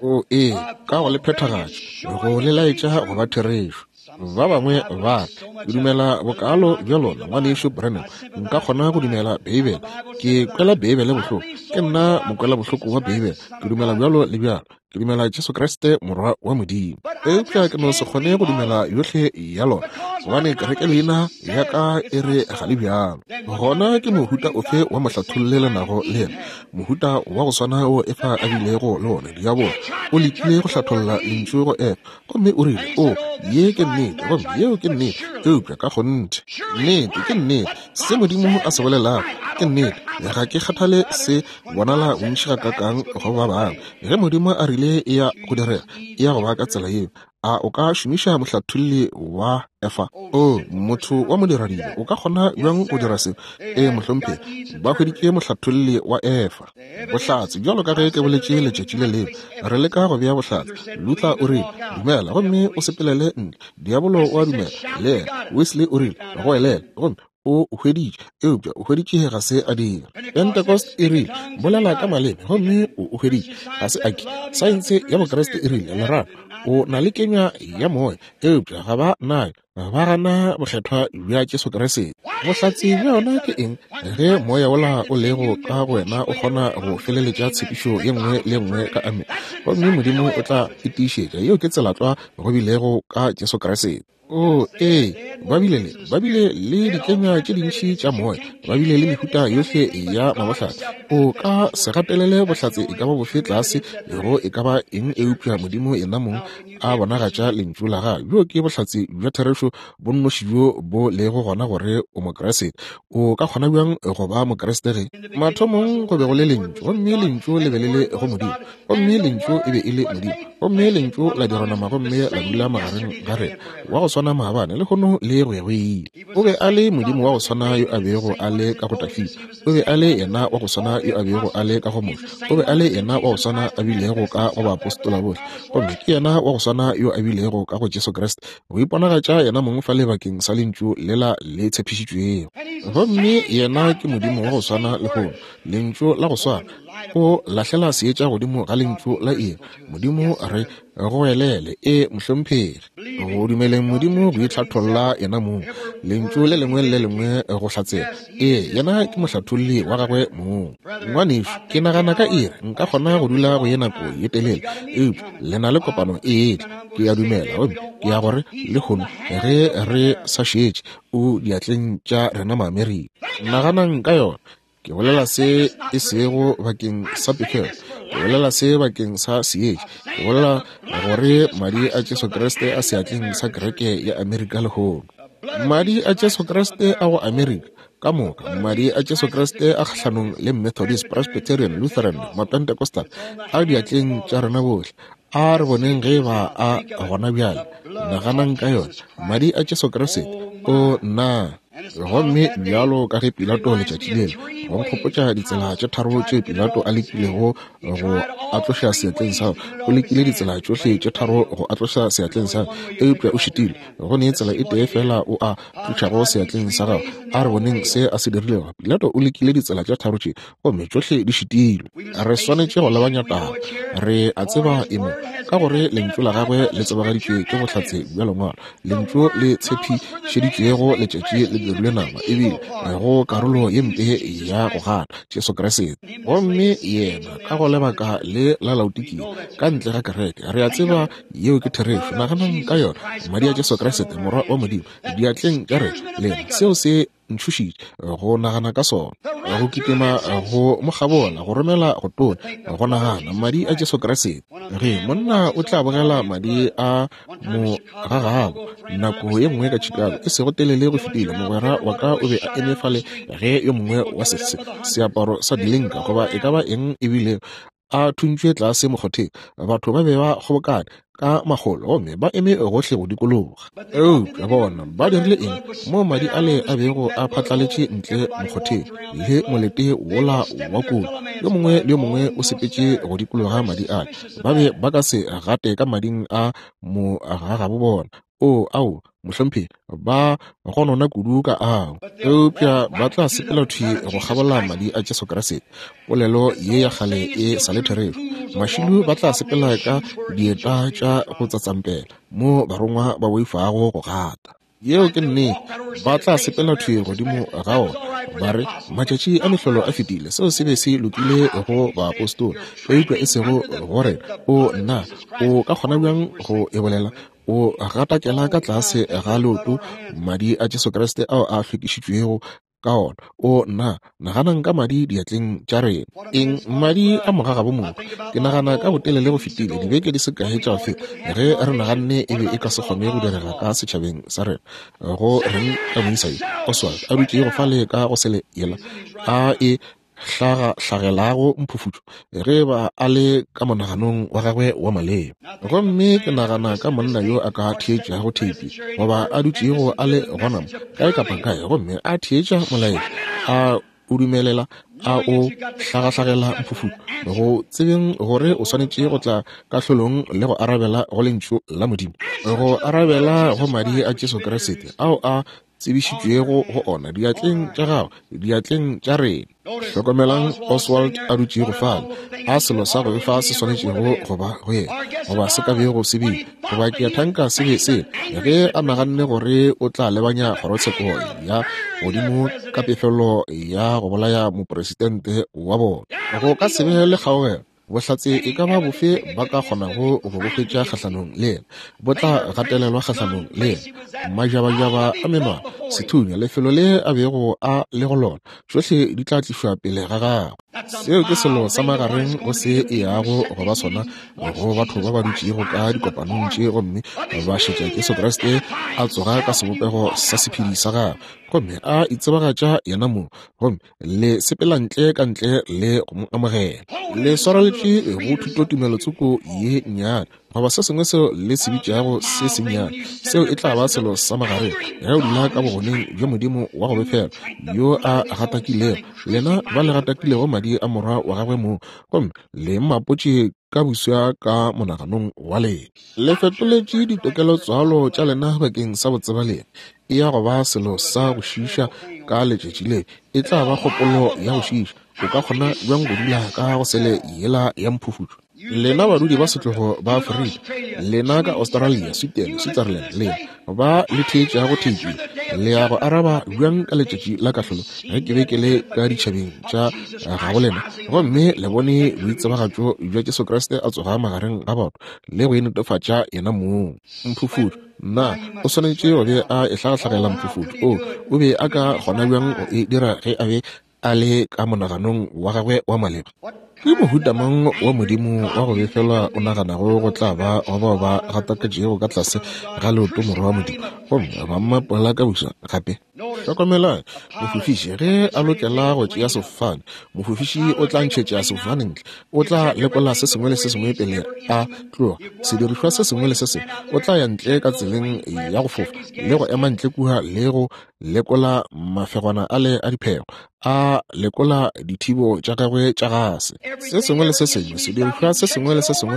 [SPEAKER 1] O ee, ka go le phethagatša, go le laetša go ba therešo. Ba bangwe ba re, ke dumela bokalo bja lona, ngwanešu Branham, nka kgona go dumela Beibele. Ke kwela Beibele bohloko, ke nna mokwela bohloko wa Beibele. Ke dumela bjalo le bjalo. Ke dumela Jesu Kriste morwa wa Modimo. Eupša ke no se kgone go dumela yohle ya lona, gobane kereke leina ya ka e re ga le bjalo. Gona ke mohuta ofe wa mohlatholle le nago le yena? Mohuta wa go swana o Efa a bilego le wona. Diabolo o lekile go hlatholla lentšu go Efa, gomme o rile, o, ye ke nnete, gomme yeo ke nnete, eupša ka kgonthe nnete ke nnete. Se Modimo a se bolelago ke nnete. Ga ke kgathale se bonala bontši gakakang go ba bangwe. Ge Modimo a rile e ya go direga, e ya go ba ka tsela yeo. A o ka šomiša mohlatholli wa Efa? O motho wa modiradibe, o ka kgona bjang go dira seo? Ee, mohlomphegi, ba hweditše mohlatholli wa Efa. Bohlatse, bjalo ka ge ke boletše letšatši le lengwe, re leka go bea bohlatse. Luther o rile, dumela gomme o sepelele ntle. Diabolo o a dumela le yena. Wesley o rile, goelela gomme o hweditše, eupša o hweditše ga se a dira. Pentecost e rile, bolela ka maleme gomme o hweditše, ga se a ke. Saense ya Bokriste e rile, lerato, o na le kenywa ya moya, eupša ga ba nayo, ba gana bokgethwa bja Jesu Kriste. Bohlatse bja yona ke eng? Ge moya wola o lego ka go wena o kgona go feleletša tshepišo ye nngwe le nngwe ka amen, gomme Modimo o tla e tiišetša. Yeo ke tsela tlwa go bilego ka Jesu Kriste. O ee, ba bile le ba bile le dikenywa tše dintši tša moya, ba bile le mehuta yohle ya mabohlatse. O ka se gatelele bohlatse e ka ba bofe tlase go e ka ba eng, eupša Modimo yena mong a bonagatša lentšu la gagwe. Bjo ke bohlatse bja therešo bo nnoši bjo bo lego gona gore o Mokriste. O ka kgona bjang go ba Mokriste ge mathomong go be go le lentšu, gomme lentšu le be le le go Modimo, gomme lentšu e be e le Modimo, gomme lentšu la dirwa nama gomme la dula magareng ga rena, wa go swana maabane lehono le go ya go ile. O be a le Modimo wa go swana yo a bego a le ka go Dafida, o be a le yena wa go swana yo a bego a le ka go Moshe, o be a le yena wa go swana a bilego ka go baapostola bohle, gomme ke yena wa go swana yo a bilego ka go Jesu Kriste, go iponagatša yena mong fa lebakeng sa lentšu lela le tshepišitšwego. Gomme yena ke Modimo wa go swana lehono, lentšu la go swana. O lahlela seetša godimo ga lentšu la iri. Modimo re goelele, e mohlomphegi, go dumeleng Modimo go itlhatholla yena mong, lentšu le lengwe le lengwe go hlatsela. Ee, yena ke mohlatholli wa gagwe mong. Ngwanešu, ke nagana ka iri nka kgona go dula go ye nako ye telele, eupša le na le kopano e etla, ke a dumela, gomme ke ya gore lehono ge re sa šetše o diatleng tša rena Maamerika. Naganang ka yona. Ke bolela se e sego bakeng sa pefelo, ke bolela se bakeng sa seetša, ke bolela gore madi a Jesu Kriste a seatleng sa kereke ya Amerika lehono. Madi a Jesu Kriste a go Amerika ka moka, madi a Jesu Kriste a kgahlanong le Methodist, Presbyterian, Lutheran, Mapentecostal a diatleng tša rena bohle. A re boneng ge ba a gona bjale. Naganang ka yona, madi a Jesu Kriste. O nna. Gomme bjalo ka ge Pilato letšatši lele, go nkgopotša ditsela tše tharo tše Pilato a lekilego go a tloša seatleng sa, o lekile ditsela tšohle tše tharo go a tloša seatleng sa, eupša o šitile. Go ne tsela e tee fela o a tlošago seatleng sa gago. A re boneng se a se dirilego. Pilato o lekile ditsela tše tharo tše, gomme tšohle di šitilwe. Re swanetše go lebanya taba. Re a tseba e mo, ka gore lentšu la gagwe le tsebagaditšwe ke bohlatse bja lengwalo, lentšu le tshepišeditšwego letšatši le dirilwe nama, ebile go karolo ye mpe ya go gana Jesu Kriste. Gomme yena ka go lebaka le la Laodikia ka ntle ga kereke, re a tseba yeo ke therešo. Naganang ka yona, madi a Jesu Kriste morwa wa Modimo diatleng tša rena lena. Seo se ntšhošitše go nagana ka sona, go kitima go mo kgabola, go romela go tona, go nagana madi a Jesu Kriste. Ge monna o tla bogela madi a mo ga gabo nako ye nngwe ka Chicago, e sego telele go fetile, mogwera wa ka o be a eme fale ge yo mongwe wa se seaparo sa dilinka goba e ka ba eng ebile a thuntšwe tlase mokgotheng. Batho ba be ba kgobokane ka makgolo gomme ba eme gohle go dikologa. Eupša bona ba dirile eng mo madi ale a bego a phatlaletše ntle mokgotheng le molete wola wa kudu? Yo mongwe le yo mongwe o sepetše go dikologa madi ale. Ba be ba ka se gate ka mading a mogagabo bona. O ao, mohlomphegi, ba gonona kudu ka ao, eupša ba tla sepela thwi go kgabola madi a Jesu Kriste. Polelo ye ya kgale e sa le therešo. Mašilu ba tla sepela ka dieta tša go tsatsampela mo barongwa ba boifago go gata. Yeo ke nnete. Ba tla sepela thwi godimo ga ona, ba re matšatši a mehlolo a fetile. Seo se be se lokile go baapostola, eupša e sego go rena. O nna, o ka kgona bjang go e bolela? O gatakela ka tlase ga leoto madi a Jesu Kriste ao a hlwekišitšwego ka ona. O nna, naganang ka madi diatleng tša rena. Eng? Madi a mogagabo motho. Ke nagana ka botelele go fetile dibeke di se kae tša go feta, ge re naganne e be e ka se kgone go direga ka setšhabeng sa rena. Go reng ka moisa yo Oswald a dutšego fale ka go sele yela a e hlagahlagelago mphufutšo ge ba a le ka monaganong wa gagwe wa maleba. Gomme ke nagana ka monna yo a ka theetšago theipi goba a dutšego a le gona mo kae kapa kae, gomme a theetša molaetša, a o dumelela a o hlagahlagela mphufutšo, go tsebeng gore o swanetše go tla kahlolong le go arabela go lentšu la Modimo, go arabela go madi a Jesu Kriste ao a tsebišitšwego go ona diatleng tša gago, diatleng tša rena. Hlokomelang Oswald a dutšego fale, a selo sa go befa se swanetšego go ba go yena, goba se ka bego se bile, goba ke a thanka se be se, ge a naganne gore o tla lebanya kgorotsheko ya godimo ka pefelo ya go bolaya mopresidente wa bona. Go ka se be le kgaogelo. Bohlatse e ka ba bofe ba ka kgonago go bo hwetša kgahlanong le yena, bo tla gatelelwa kgahlanong le yena. Majabajaba a menwana, sethunya, lefelo le a bego a le go lona, tšohle di tla tlišwa pele ga gagwe. Seo ke selo sa magareng go se e yago go ba sona go batho ba ba dutšego ka dikopanong tše gomme ba šetša Jesu Kriste a tsoga ka sebopego sa sephedi sa gagwe, gomme a itsebagatša yena mong, gomme le sepela ntle ka ntle le go mo amogela. Le swareletše go thutotumelo tsoko ye nnyane goba se sengwe seo le se bitšago se sennyane, seo e tla ba selo sa magareng ge o dula ka bogoneng bja Modimo wa go befela yo a gatakilego lena ba le gatakilego madi a morwa wa gagwe mong, gomme le mmapotše ka buswa ka monaganong wa lena. Le fetoletše ditokelotswalo tša lena bakeng sa botsebalena. E ya go ba selo sa go šiiša ka letšatši le, e tla ba kgopolo ya go šiiša. O ka kgona bjang go dula ka go sele yela ya mphufutšo? Lena badudi ba setlogo ba Afrika, lena ka Australia, Sweden, Switzerland, lena ba le theetšago theipi, le ya go araba bjang ka letšatši la kahlolo ge ke be ke le ka ditšhabeng tša gabo lena, gomme le bone boitsebagatšo bja Jesu Kriste a tsoga magareng ga batho le go netefatša yena mong? Mphufutšo, na o swanetše go be a e hlagahlagela mphufutšo? O o be a ka kgona bjang go e dira ge a be a le ka monaganong wa gagwe wa maleba? Ke mohuta mang wa Modimo wa go befelwa o naganago go tla ba go bao ba gataketšego ka tlase ga leoto morwa wa Modimo, gomme ba mmapola ka buša gape? Hlokomelang, mofofiši ge a lokela go tšea sefofane, mofofiši o tla ntšhetša sefofane ntle, o tla lekola se sengwe le se sengwe pele a tloga, sedirišwa se sengwe le se sengwe, o tla ya ntle ka tseleng ya go fofa le go ema ntle kua le go lekola mafegwana ale a diphego, a lekola dithibo tša gagwe tša gase. Se sengwe le se sengwe, sedirišwa se sengwe le se sengwe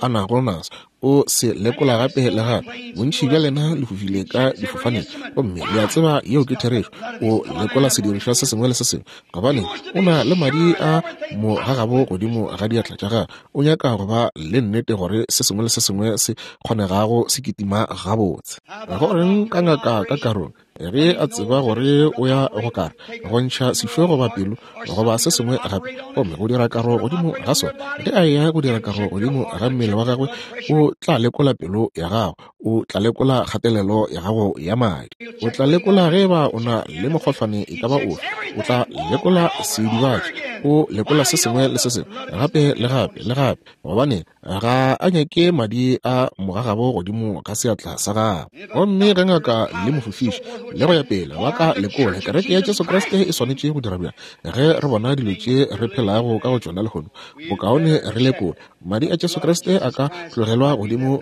[SPEAKER 1] a nago naso, o se lekola gape le gape. Bontši bja lena le fofile ka difofaneng, gomme le a tseba yeo ke therešo. O lekola sedirišwa se sengwe le se sengwe, gobane o na le madi a mo gagabo godimo ga diatla tša gagwe. O nyaka go ba le nnete gore se sengwe le se sengwe se kgonegago se kitima gabotse. Go reng ka ngaka ka karong ge a tseba gore o ya go kara go ntšha sešo goba pelo goba se sengwe gape, gomme go dira karo godimo ga sona? Ge a ya go dira karo godimo ga mmele wa gagwe, o tla lekola pelo ya gago, o tla lekola kgatelelo ya gago ya madi, o tla lekola ge ba o na le mokgohlwane e ka ba ofe, o tla lekola sedibatši, o lekola se sengwe le se sengwe gape le gape le gape, gobane ga a nyake madi a mogagabo godimo ga seatla sa gagwe. Gomme ge ngaka le mofofiši le go ya pele ba ka lekola, kereke ya Jesu Kriste e swanetše go dira bjang ge re bona dilo tše re phelago ka go tšona lehono? Bokaone re lekola. Madi a Jesu Kriste a ka tlogelwa godimo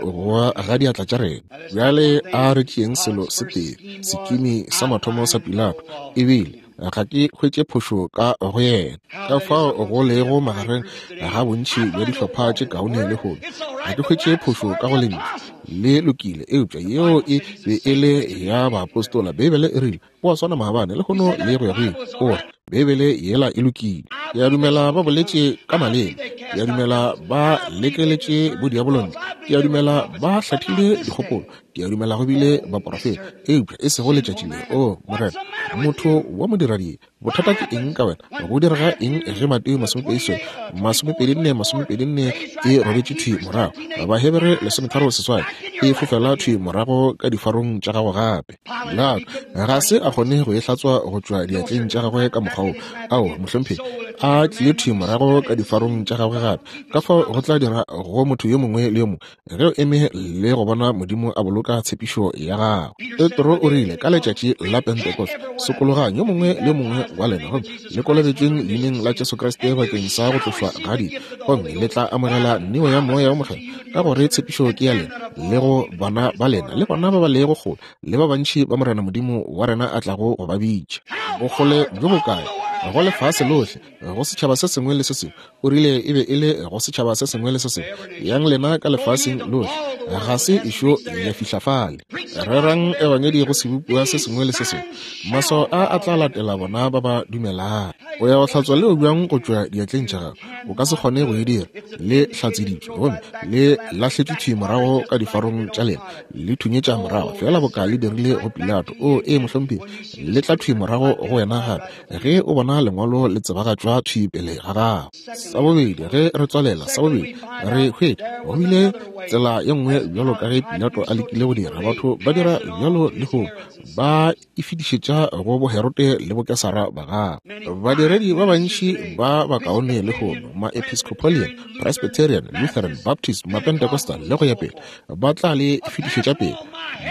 [SPEAKER 1] ga diatla tša rena. Bjale a re tšeeng selo se tee, sekimi sa mathomo sa Pilato, ebile ga ke hwetše phošo ka go yena. Ka fao go lego magareng ga bontši bja dihlopha tše kaone lehono, ga ke hwetše phošo ka go lentšu le lokile, eupša yeo e be e le ya baapostola. Beibele e rile o a swana maabane lehono le go ya go ile. O re Beibele yela e lokile. Ke a dumela ba boletše ka maleme, ke a dumela ba lekeletše bodiabolo ntle, ke a dumela ba hlathile dikgopolo, ke a dumela go bile baporofeta, eupša e sego letšatši le. O Morena, motho wa modiradi, bothata ke eng ka wena? Go direga eng ge Mateo masomepedi masomepedi nne masomepedi nne e robetše thwi morago, Bahebere lesometharo seswai e fofela thwi morago ka difarong tša gago gape? Pilato ga se a kgone go e hlatswa go tšwa diatleng tša gagwe ka mokgwa wo. Ao, mohlomphegi, a tlile thwi morago ka difarong tša gagwe gape. Ka fao go tla dira go motho yo mongwe le yo mongwe ge o eme le go bona Modimo a boloka boloka tshepišo ya gagwe. Petro o rile ka letšatši la Pentecost, sokologang yo mongwe le yo mongwe wa lena gomme le kolobetšweng leineng la Jesu Kriste bakeng sa go tlošwa ga dibe, gomme le tla amogela neo ya Moya wo Mokgethwa, ka gore tshepišo ke ya lena le go bana ba lena le bona ba ba lego kgole le ba bantši ba Morena Modimo wa rena a tlago go ba bitša. Bokgole bjo bokae? Go lefase lohle, go setšhaba se sengwe le se sengwe. O rile e be e le go setšhaba se sengwe le se sengwe. Yang lena ka lefaseng lohle, ga se ešo ya fihla fale. Rerang ebangedi go sebopiwa se sengwe le se sengwe. Maswao a a tla latela bona ba ba dumelago. O ya go hlatswa leo bjang go tšwa diatleng tša gago? O ka se kgone go e dira. Le hlatseditšwe gomme le lahletšwe thwi morago ka difarong tša lena, le thunyetša morago feela boka le dirile go Pilato. O ee, mohlomphegi, le tla thwi morago go wena gape ge o bona lengwalo le tsebagatšwa thwi pele ga gago. Sa bobedi, ge re tswalela, sa bobedi re hwetša go bile tsela ye nngwe bjalo ka ge Pilato a lekile go dira. Batho ba dira bjalo lehono, ba e fetišetša go boHerote le boKesara ba gagwe. Badiredi ba bantši ba bakaone lehono, ma-Episcopalian, Presbyterian, Lutheran, Baptist, ma-Pentecostal le go ya pele, ba tla le fetišetša pele.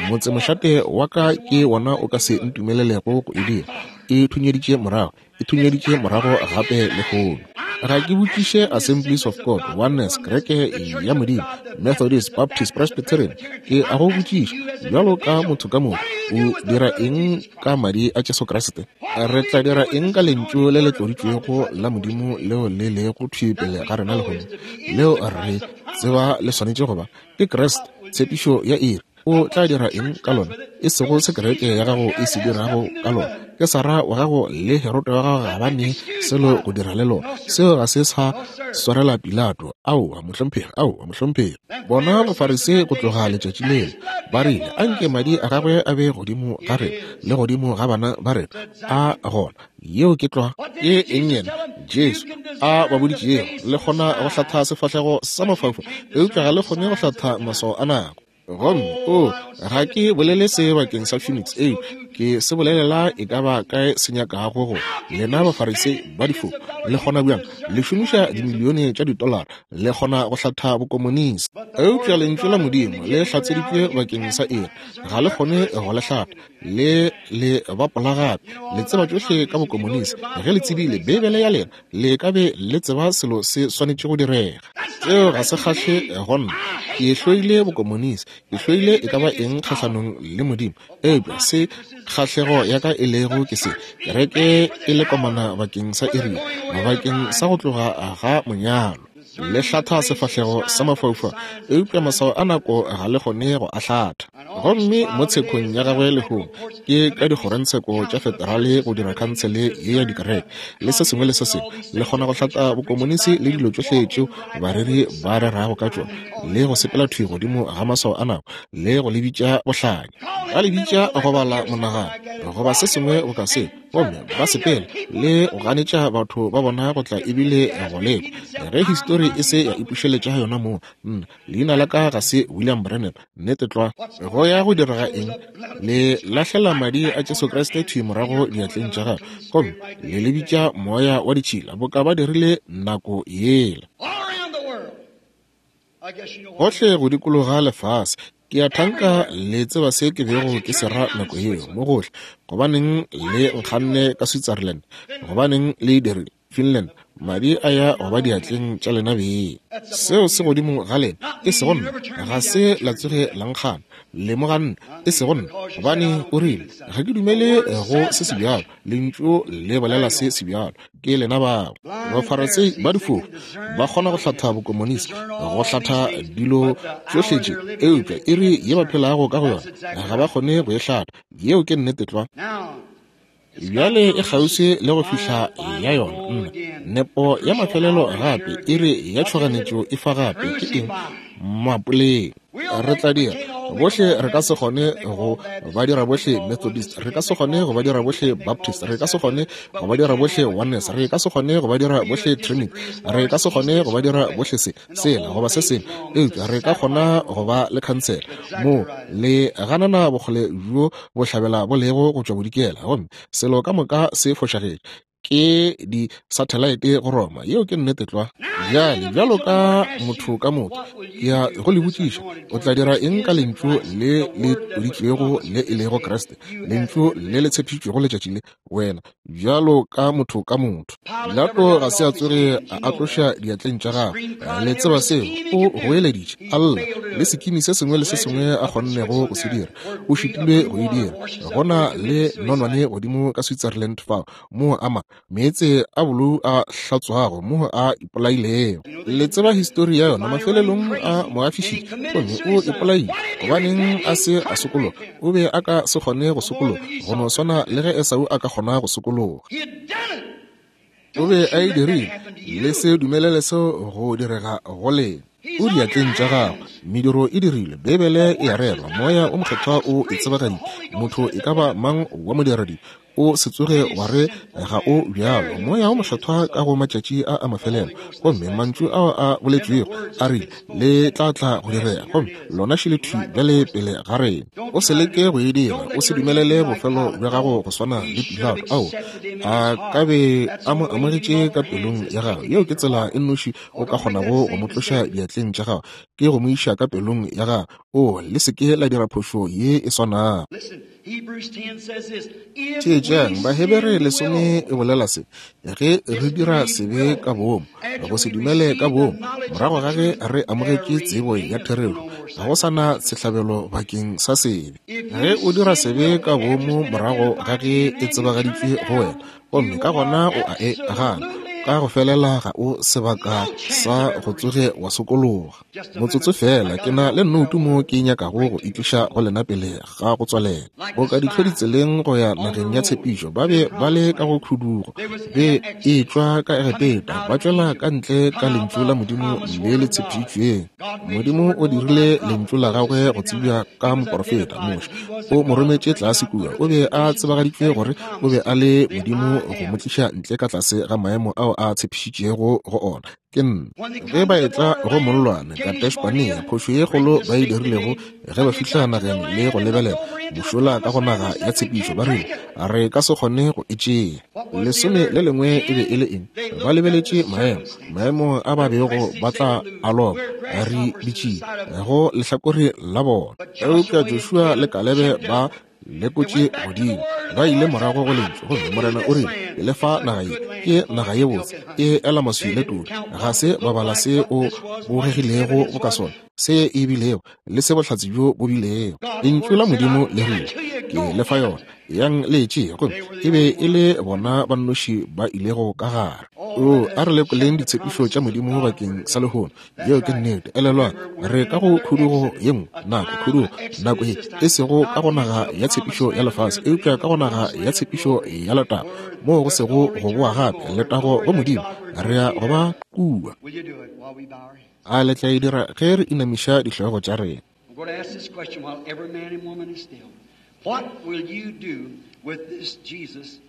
[SPEAKER 1] Motsemošate wa ka ke wona o ka se ntumelelego go e dira. E thunyeditše morago, e thunyeditše morago gape lehono. Ga ke botšiše Assemblies of God, Oneness, Kereke ya Modimo, Methodist, Baptist, Presbyterian. Ke a go botšiša bjalo ka motho ka moka, o dira eng ka madi a Jesu Kriste? Re tla dira eng ka lentšu le le tloditšwego la Modimo leo le lego thwi pele ga rena lehono, leo re tseba le swanetše go ba ke Kriste, tshepišo ya iri? O tla dira eng ka lona? E sego se kereke ya gago e se dirago ka lona. Kesara wa gago le Herote wa gago ga ba ne selo go dira le lona. Seo ga se sa swarela Pilato. Aowa, mohlomphegi, aowa, mohlomphegi. Bona Bafarisei go tloga letšatši leo ba rile, anke madi a gagwe a be godimo ga rena le godimo ga bana ba rena. A gona yeo ke tlwa. Ke eng yena Jesu a ba boditšego? Le kgona go hlatha sefahlego sa mafaufau, eupša ga le kgone go hlatha maswao a nako. Gomme o, ga ke bolele se bakeng sa Phoenix, eo ke se bolelela e ka ba kae se nyakago go lena Bafarisei ba difofu. Le kgona bjang? Le šomiša dimilione tša ditolara, le kgona go hlatha bokomonisi, eupša lentšu la Modimo le hlatseditšwe bakeng sa iri, ga le kgone go le hlatha. Le le bapola gape. Le tseba tšohle ka bokomonisi. Ge le tsebile Beibele ya lena, le ka be le tseba selo se swanetše go direga. Seo ga se kgahle go nna. Ke hloile bokomonisi, ke hloile e ka ba eng kgahlanong le Modimo, eupša se kgahlego ya ka e lego ke se, kereke e le komana bakeng sa iri, bakeng sa go tloga ga monyalo. Le hlatha sefahlego sa mafaufau, eupša maswao a nako ga le kgone go a hlatha. Gomme mo tshekong ya gagwe lehono ke ka dikgorongtsheko tša federale go dira khansele ye ya dikereke le se sengwe le se sengwe. Le kgona go hlatha bokomonisi le dilo tšohle tšeo bareri ba rerago ka tšona, le go sepela thwi godimo ga maswao a nako, le go le bitša bohlanya, ba le bitša go bala monagano goba se sengwe boka se, gomme ba sepela le go ganetša batho ba bona go tla ebile go lekwa. Ge histori e se ya ipušeletša yona moo, nna leina la ka ga se William Branham. Nnete tlwa. Go ya go direga eng? Le lahlela madi a Jesu Kriste thwi morago diatleng tša gagwe, gomme le le bitša moya wa ditšhila boka ba dirile nako yela. Gohle go dikologa lefase. Ke a thanka le tseba se ke bego ke se ra nako yeo mo gohle. Gobaneng le nkganne ka Switzerland? Gobaneng le dirile Finland? Madi a ya go ba diatleng tša lena beng. Seo se godimo ga lena, e sego nna. Ga se la tsoge la nkgana. Le mo ganne, e sego nna, gobane o rile ga ke dumele go se se bjalo. Lentšu le bolela se se bjalo. Ke lena bao. Bafarisei ba difofu ba kgona go hlatha bokomonisi, go hlatha dilo tšohle tše, eupša iri ye ba phelago ka go yona ga ba kgone go e hlatha. Yeo ke nnete tlwa. Bjale e kgauswi le go fihla ya yona. Nna nepo ya mafelelo gape, iri ya tšhoganetšo e fa gape. Ke eng? Mapoleng. Re tla dira bohle, re ka se kgone go ba dira bohle Methodist, re ka se kgone go ba dira bohle Baptist, re ka se kgone go ba dira bohle Oneness, re ka se kgone go ba dira bohle Trinity, re ka se kgone go ba dira bohle se sela goba se sengwe, eupša re ka kgona go ba le khansele moo le ganana bokgole bjo bohlabela bo lego go tšwa bodikela, gomme selo ka moka se fošagetše. Ke di-satellite go Roma. Yeo ke nnete tlwa. Bjale, bjalo ka motho ka motho, ke ya go le botšiša, o tla dira eng ka lentšu le le tloditšwego le e lego Kriste, lentšu le le tshepišitšwego letšatši le? Wena, bjalo ka motho ka motho. Pilato ga se a tsoge a a tloša diatleng tša gagwe. Le tseba seo. O goeleditše, a lla, le sekimi se sengwe le se sengwe a kgonnego go se dira. O šitilwe go e dira. Go na le nonwane godimo ka Switzerland fao, moo a ma meetse a bolou a hlatswago, moo a ipolailego. Le tseba histori ya yona. Mafelelong a mo afišitše, gomme o ipolaile. Gobaneng a se a sokologa? O be a ka se kgone go sokologa, go no swana le ge Esau a ka kgona go sokologa. O be a e dirile. Le se dumelele seo go direga go lena. O diatleng tša gago. Mediro e dirilwe. Beibele e a rerwa. Moya o Mokgethwa o e tsebagaditše. Motho e ka ba mang wa modiradibe, o se tsoge wa re ga o bjalo. Moya o Mokgethwa ka go matšatši a a mafelelo, gomme mantšu ao a boletšwego a rile le tla tla go direga, gomme lona šele thwi bjale pele ga rena. O se leke go e dira. O se dumelele bofelo bja gago go swana le Pilato. Ao a ka be a mo amogetše ka pelong ya gagwe. Yeo ke tsela e nnoši o ka kgonago go mo tloša diatleng tša gago, ke go mo iša ka pelong ya gago. O le se ke la dira phošo ye e swanago. Theetšang, Bahebere lesome e bolela se: ge re dira sebe ka boomo, go se dumele ka boomo, morago ga ge re amogetše tsebo ya therešo, ga go sa na sehlabelo bakeng sa sebe. Ge o dira sebe ka boomo morago ga ge e tsebagaditšwe go wena, gomme ka gona o a e gana, ka go felela ga o sebaka sa go tsoge wa sokologa. Motsotso fela, ke na le nnoutu mo ke nyakago go itliša go lena pele ga go tswalela. Boka dihlodi tseleng go ya nageng ya tshepišo, ba be ba le ka go khudugo, be e tšwa ka Egepeta, ba tšwela ka ntle ka lentšu la Modimo le le tshepišitšweng. Modimo o dirile lentšu la gagwe go tsebja ka moporofeta Moshe. O mo rometše tlase kua. O be a tsebagaditšwe gore o be a le Modimo go mo tliša ntle ka tlase ga maemo ao a tshepišitšego go ona. Ke nna. Ge ba etla go mollwane Kadesh-Barnea, phošo ye kgolo ba e dirilego ge ba fihla nageng le go lebelela mošola ka go naga ya tshepišo, ba rile re ka se kgone go e tšea. Lesome le lengwe e be e le eng? Ba lebeletše maemo, maemo a ba bego ba tla a loba, re ditšile go lehlakore la bona. Eupša Joshua le Kalebe ba lekotše godimo, ba ile morago go lentšu, gomme Morena o rile, ke le fa naga ye, ke naga ye botse, e ela maswi le todi. Ga se ba bala se o bogegilego boka sona, se e bilego, le se bohlatse bjo bo bilego. Lentšu la Modimo le rile, ke le fa yona, yang le e tšee. Gomme e be e le bona ba nnoši ba ilego ka gare. O a re lekoleng ditshepišo tša Modimo bakeng sa lehono. Yeo ke nnete. Elelwang, re ka go khudugo ye nngwe nako, khudugo nako ye, e sego ka go naga ya tshepišo ya lefase, eupša ka go naga ya tshepišo ya letago, moo go sego go boa gape. Letago go Modimo, re ya go ba kua. A le tla e dira ge re inamiša dihlogo tša rena?
[SPEAKER 2] I'm going to ask this question while every man and woman is still. What will you do with this Jesus?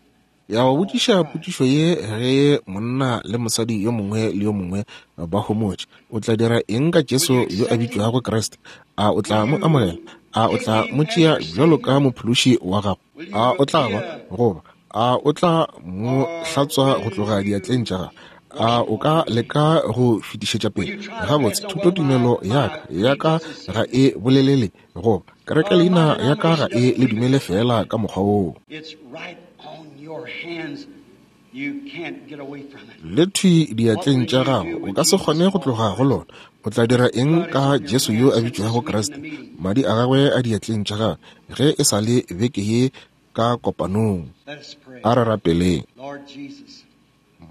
[SPEAKER 1] Ya go botšiša potšišo ye ge monna le mosadi yo mongwe le yo mongwe ba homotše. O tla dira eng ka Jesu yo a bitšwago Kriste? A o tla mo amogela? A o tla mo tšea bjalo ka mophološi wa gago? A o tla ba goba a o tla mo hlatswa go tloga diatleng tša gago? A o ka leka go fetišetša pele? Gabotse, thutotumelo ya ka ya ka ga e bolelele, goba kereke leina ya ka ga e le dumele fela ka mokgwa woo.
[SPEAKER 2] It's right on your hands. You can't get away from it.
[SPEAKER 1] Le thwi diatleng tša gago, o ka se kgone go tloga go lona. O tla dira eng ka Jesu yo a bitšwago Kriste? Madi a gagwe a diatleng tša gagwe ge e sa le beke ye ka kopanong.
[SPEAKER 2] Let us pray.
[SPEAKER 1] A re rapeleng.
[SPEAKER 2] Lord Jesus,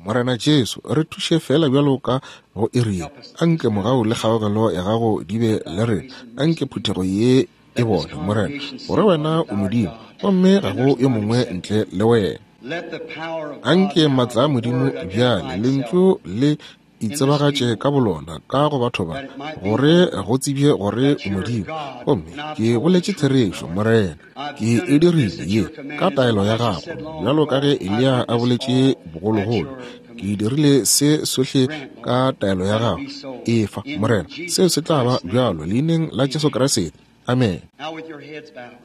[SPEAKER 1] Morena Jesu, re thuše fela bjalo ka go iri ye. Anke mogau le kgaogelo ya gago di be le rena. Anke phuthego ye e bone, Morena, gore wena o Modimo, gomme ga go yo mongwe ntle le wena.
[SPEAKER 2] let the power of God
[SPEAKER 1] Anke
[SPEAKER 2] now,
[SPEAKER 1] maatla a
[SPEAKER 2] the
[SPEAKER 1] Modimo
[SPEAKER 2] word
[SPEAKER 1] bjale,
[SPEAKER 2] identify
[SPEAKER 1] lentšu
[SPEAKER 2] itself
[SPEAKER 1] le itsebagatše ka bolona ka go batho ba, gore go tsebje gore o Modimo. Gomme ke boletše therešo, Morena, ke e dirile ye ka taelo ya gago, bjalo ka ge Eliya a boletše bogologolo. Ke dirile se sohle ka taelo ya gago. Efa, Morena, seo se tla ba bjalo leineng la Jesu Kriste. Amen.
[SPEAKER 2] Now with your heads bowed.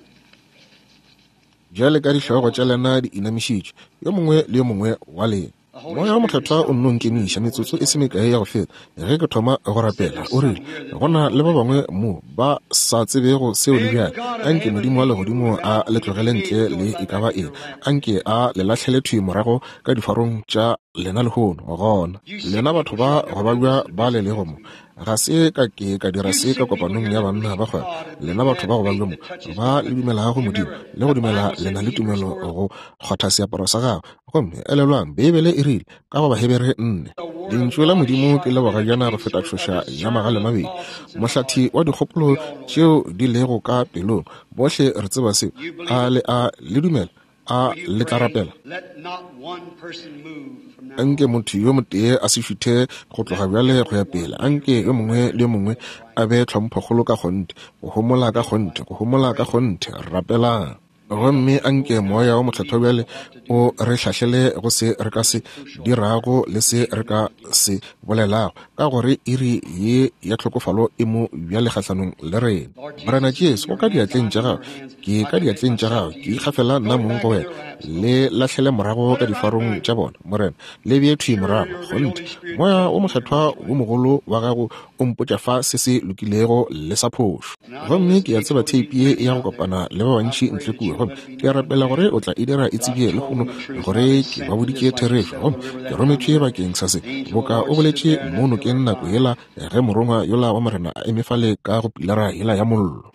[SPEAKER 1] Bjale ka dihlogo tša lena di inamišitšwe, yo mongwe le yo mongwe wa lena. Moya wo Mokgethwa o nno nkemiša metsotso e se mekae ya go feta ge ke thoma go rapela. O rile, go na le ba bangwe mo ba sa tsebego seo le bjale. Anke Modimo wa legodimo a le tlogele ntle le e ka ba eng. Anke a le lahlele thwi morago ka difarong tša lena lehono. Gona lena batho ba go babja ba le lego mo, ga se ka ke ka dira se ka kopanong ya banna ba kgwebo. Lena batho ba go babja mo ba le dumelago Modimo le go dumela lena le tumelo go kgwatha seaparo sa gagwe. Gomme elelwang, Beibele e rile ka go Bahebere nne, lentšu la Modimo ke le bogajana go feta tšhoša ya magale mabedi, mohlathi wa dikgopolo tšeo di lego ka pelong. Bohle re tseba seo. A le a le dumela? A le tla rapela? Anke motho yo motee a se šuthe go tloga bjale go ya pele. Anke yo mongwe le yo mongwe a be tlhomphokgolo ka kgonthe, go homola ka kgonthe, go homola ka kgonthe. Rapelang. Gomme anke Moya wo Mokgethwa bjale o re hlahlele go se re ka se dirago le se re ka se bolelago, ka gore iri ye ya tlhokofalo e mo bjale kgahlanong le rena. Morena Jesu, go ka diatleng tša gago, ke ka diatleng tša gago, ke ikgafela nna mong go wena. Le lahlele morago ka difarong tša bona, Morena, le bee thwi morago. Kgonthe, Moya wo Mokgethwa wo mogolo wa gago o mpotša fa se se lokilego le sa phošo. Gomme ke a tseba theipi ye ya go kopana le ba bantši ntle kua, gomme ke a rapela gore o tla e dira e tsebje lehono gore ke ba boditše therešo, gomme ke rometšwe bakeng sa se, boka o boletše mo nokeng nako yela ge morongwa yola wa Morena a eme fale ka go pilara yela ya mollo.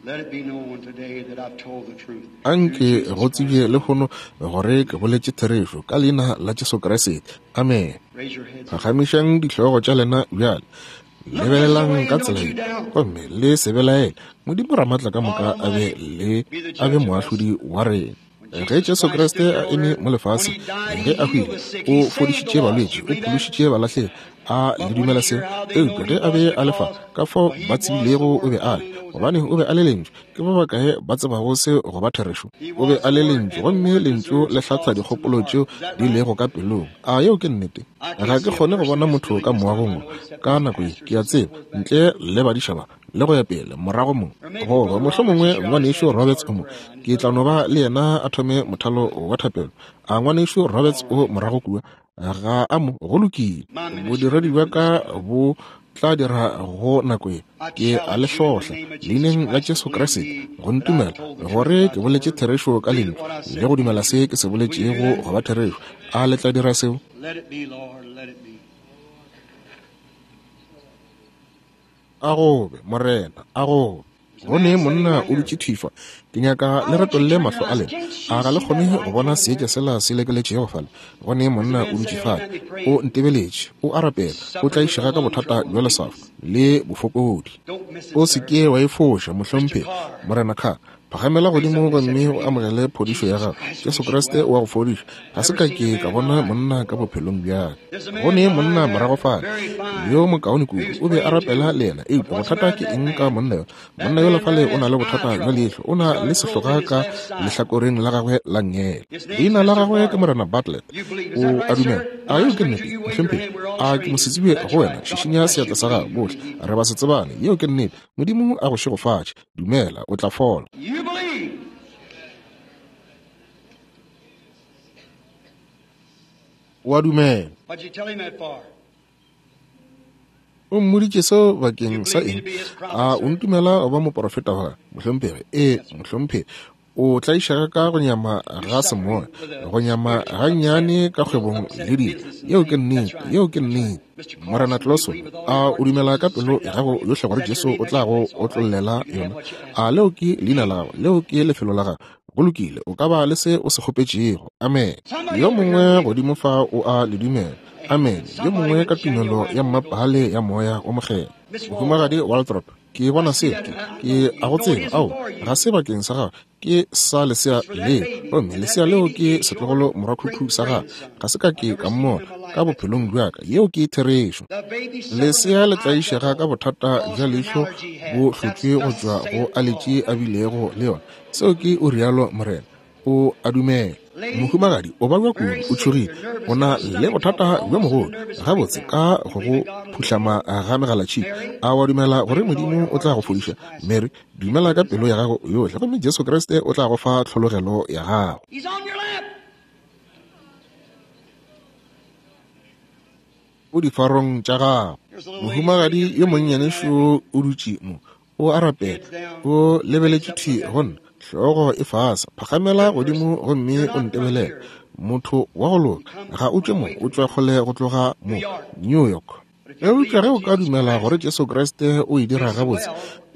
[SPEAKER 1] Anke go tsebje lehono gore ke boletše therešo ka leina la Jesu Kriste. Amen. Phagamišang dihlogo tša lena bjale. Lebelelang ka tsela ye, gomme le se belaele. Modimo Ramatla ka moka a be le a be moahlodi wa rena. Ge Jesu Kriste a eme mo lefaseng, ge a hwile, o fodišitše balwetši, o phološitše balahlegi. A le dumela seo? Eupša ge a be a le fa, ka fao ba tsebilego o be a le, gobane o be a le lentšu. Ke ba bakae ba tsebago seo go ba therešo? O be a le lentšu, gomme lentšu le hlatha dikgopolo tšeo di lego ka pelong. A yeo ke nnete? Ga ke kgone go bona motho ka moagong ka nako ye, ke a tseba, ntle le badišaba le go ya pele morago mo, goba mohlomongwe ngwanešu Roberts o mo, ke tla no ba le yena a thome mothalo wa thapelo. A ngwanešu Roberts o morago kua? Ga a mo. Go lokile. Bodiredi bja ka bo tla dira go nako ye. Ke a le hlohla leineng la Jesu Kriste go ntumela gore ke boletše therešo ka lentšu le go dumela se ke se boletšego go ba therešo. A le tla dira seo? A gobe, Morena, a gobe. Go ne monna o dutše thwi fa. Ke nyaka le retolle mahlo a lena. A ga le kgone go bona seetša sela se lekeletšego fale? Go ne monna o dutše fale, o ntebeletše, o a rapela, o tlaišega ka bothata bja leswafo le bofokodi. O se ke wa e foša, mohlomphegi. Morena Carr, phagamela godimo gomme o amogele phodišo ya gago. Jesu Kriste o a go fodiša. Ga se ka ke ka bona monna ka bophelong bjaka. Go ne monna morago fale yo mokaone kudu, o be a rapela le yena. Eupša bothata ke eng ka monna yola? Monna yola fale o na le bothata bja leihlo, o na le sehloga ka lehlakoreng la gagwe la nngele. Leina la gagwe ke Morena Bartlett. O a dumela? A yeo ke nnete, mohlomphegi? A ke mosetsebje go wena? Šišinya seatla sa gago. Bohle re ba se tsebane. Yeo ke nnete. Modimo a go šegofatše. Dumela, o tla fola. O a dumela. O mmoditše seo bakeng sa eng? A o ntumela go ba moporofeta wa gagwe, mohlomphegi? Ee, mohlomphegi. O tlaišega ka go nyama ga semoya, go nyama gannyane ka kgwebong le dilo. Yeo ke nnete, yeo ke nnete. Morena Clawson, a o dumela ka pelo ya gago yohle gore Jesu o tla go otlollela yona? A leo ke leina la gago? Leo ke lefelo la gago? Go lokile, o ka ba le se o se kgopetšego. Amen. Yo mongwe godimo fa o a le dumela. Amen. Yo mongwe ka tumelo ya mmapale ya Moya wo Mokgethwa. Mohumagadi Waldrop, ke bona seo, ke, ke a go tseba. Ao, ga se bakeng sa gago, ke sa lesea leo, gomme lesea leo ke setlogolo morwakhukhu sa gago. Ga se ka ke ka mmona ka bophelong bja ka. Yeo ke therešo. Lesea le tlaišega ka bothata bja leihlo bo hlotšwe go tšwa go aletši a bilego le yona. Seo ke o rialo Morena. O a dumela. Mohumagadi o babja kudu, o tšhogile, o na le bothata bjo mogolo gabotse ka go go phuhlama ga megalatšhika. A wa dumela gore Modimo o tla go fodiša? Mary, dumela ka pelo ya gago yohle, gomme Jesu Kriste o tla go fa tlhologelo ya gago. O difarong tša gago. Mohumagadi yo monnyane šo o dutše mo, o a rapela, o lebeletše thwi go nna, hlogo e fase. Phagamela godimo gomme o ntebelele. Motho wa go loka, ga o tšwe mo, o tšwa kgole go tloga mo, New York. Eupša ge o ka dumela gore Jesu Kriste o e dira gabotse,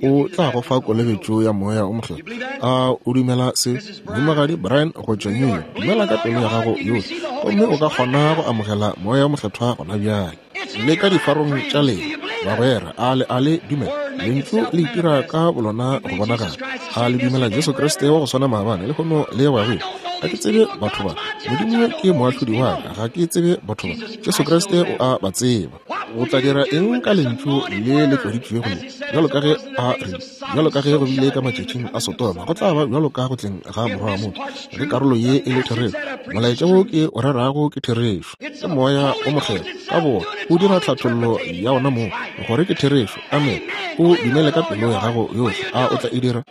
[SPEAKER 1] o tla go fa kolobetšo ya Moya o Mokgethwa. A o dumela se? Mohumagadi Brian go tšwa New York, dumela ka pelo ya gago yohle, gomme o ka kgona go amogela Moya o Mokgethwa gona bjale. Le ka difarong tša lena, bagwera, a le a le dumela? Lentšu le itira ka bolona go bonagala. A le dumela Jesu Kriste wa go swana maabane, lehono le go ya go ile? Ga ke tsebe batho ba. Modimo ke moahlodi wa ka. Ga ke tsebe batho ba. Jesu Kriste o a ba tseba. O tla dira eng ka lentšu le le tloditšwego le? Bjalo ka ge a rile, bjalo ka ge go bile ka matšatšing a Sodoma, go tla ba bjalo ka go tleng ga Morwa wa motho. Ge karolo ye e le therešo, molaetša wo ke o rerago ke therešo. Ke Moya o Mokgethwa ka bowona o dira tlhathollo ya ona moo gore ke therešo. Amen. O dumele ka pelo ya gago yohle. A o tla e dira?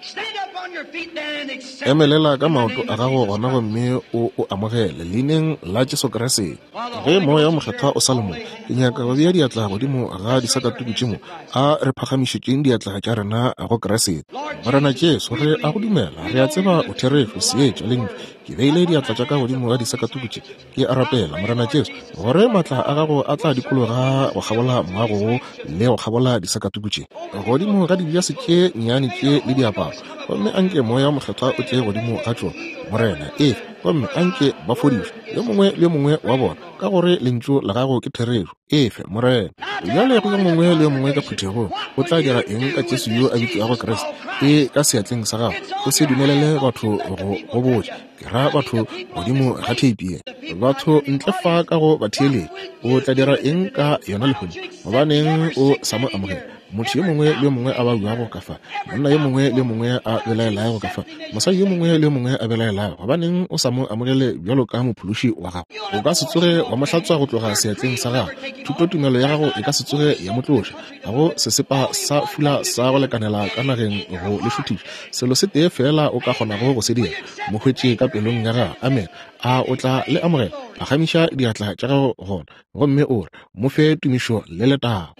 [SPEAKER 1] Emelela ka maoto a gago gona gomme o o amogele leineng la Jesu Kriste. Ge Moya o Mokgethwa o sa le mo, ke nyaka go bea diatla godimo ga disakatuku tše mo. A re phagamišetšeng diatla tša rena go Kriste. Morena Jesu, re a go dumela, re a tseba o therešo, seetša, lentšu. Ke beile diatla tša ka godimo ga disakatuku tše. Ke a rapela, Morena Jesu, gore maatla a gago a tla dikologa go kgabola moago wo le go kgabola disakatuku tše, godimo ga dibjase tše nnyane tše le diaparo, gomme anke Moya o Mokgethwa o tle godimo ga tšona, Morena, efe, gomme anke ba fodišwe, yo mongwe le yo mongwe wa bona, ka gore lentšu la gago ke therešo. Efe, Morena. Bjale go yo mongwe le yo mongwe ka phuthegong, o tla dira eng ka Jesu yo a bitšwago Kriste? E ka seatleng sa gago. O se dumelele batho go go botša. Ke ra batho godimo ga theipi ye, batho ntle fa ka go batheeletši. O tla dira eng ka yona lehono? Gobaneng o sa mo amogela? Motho yo mongwe le yo mongwe a babjago ka fa, monna yo mongwe le yo mongwe a belaelago ka fa, mosadi yo mongwe le yo mongwe a belaelago, gobaneng o sa mo amogele bjalo ka mophološi wa gago? O ka se tsoge wa mo hlatswa go tloga seatleng sa gago. Thutotumelo ya gago e ka se tsoge ya mo tloša. Ga go sesepa sa fula sa go lekanela ka nageng go le šuthiša. Selo se tee fela o ka kgonago go se dira, mo hwetše ka pelong ya gago. Amen. A o tla le amogela? Phagamiša diatla tša gago gona gomme o re, mo fe tumišo le letago.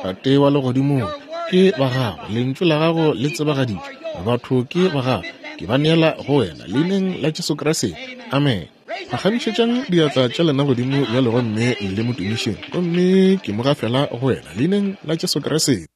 [SPEAKER 1] Tate wa legodimong, ke ba gago, lentšu la gago le tsebagaditšwe, batho ke ba gago, ke ba neela go wena leineng la Jesu Kriste. Amen. Phagamišetšang diatla tša lena godimo bjale gomme le mo tumišeng, gomme ke mo gafela go wena leineng la Jesu Kriste.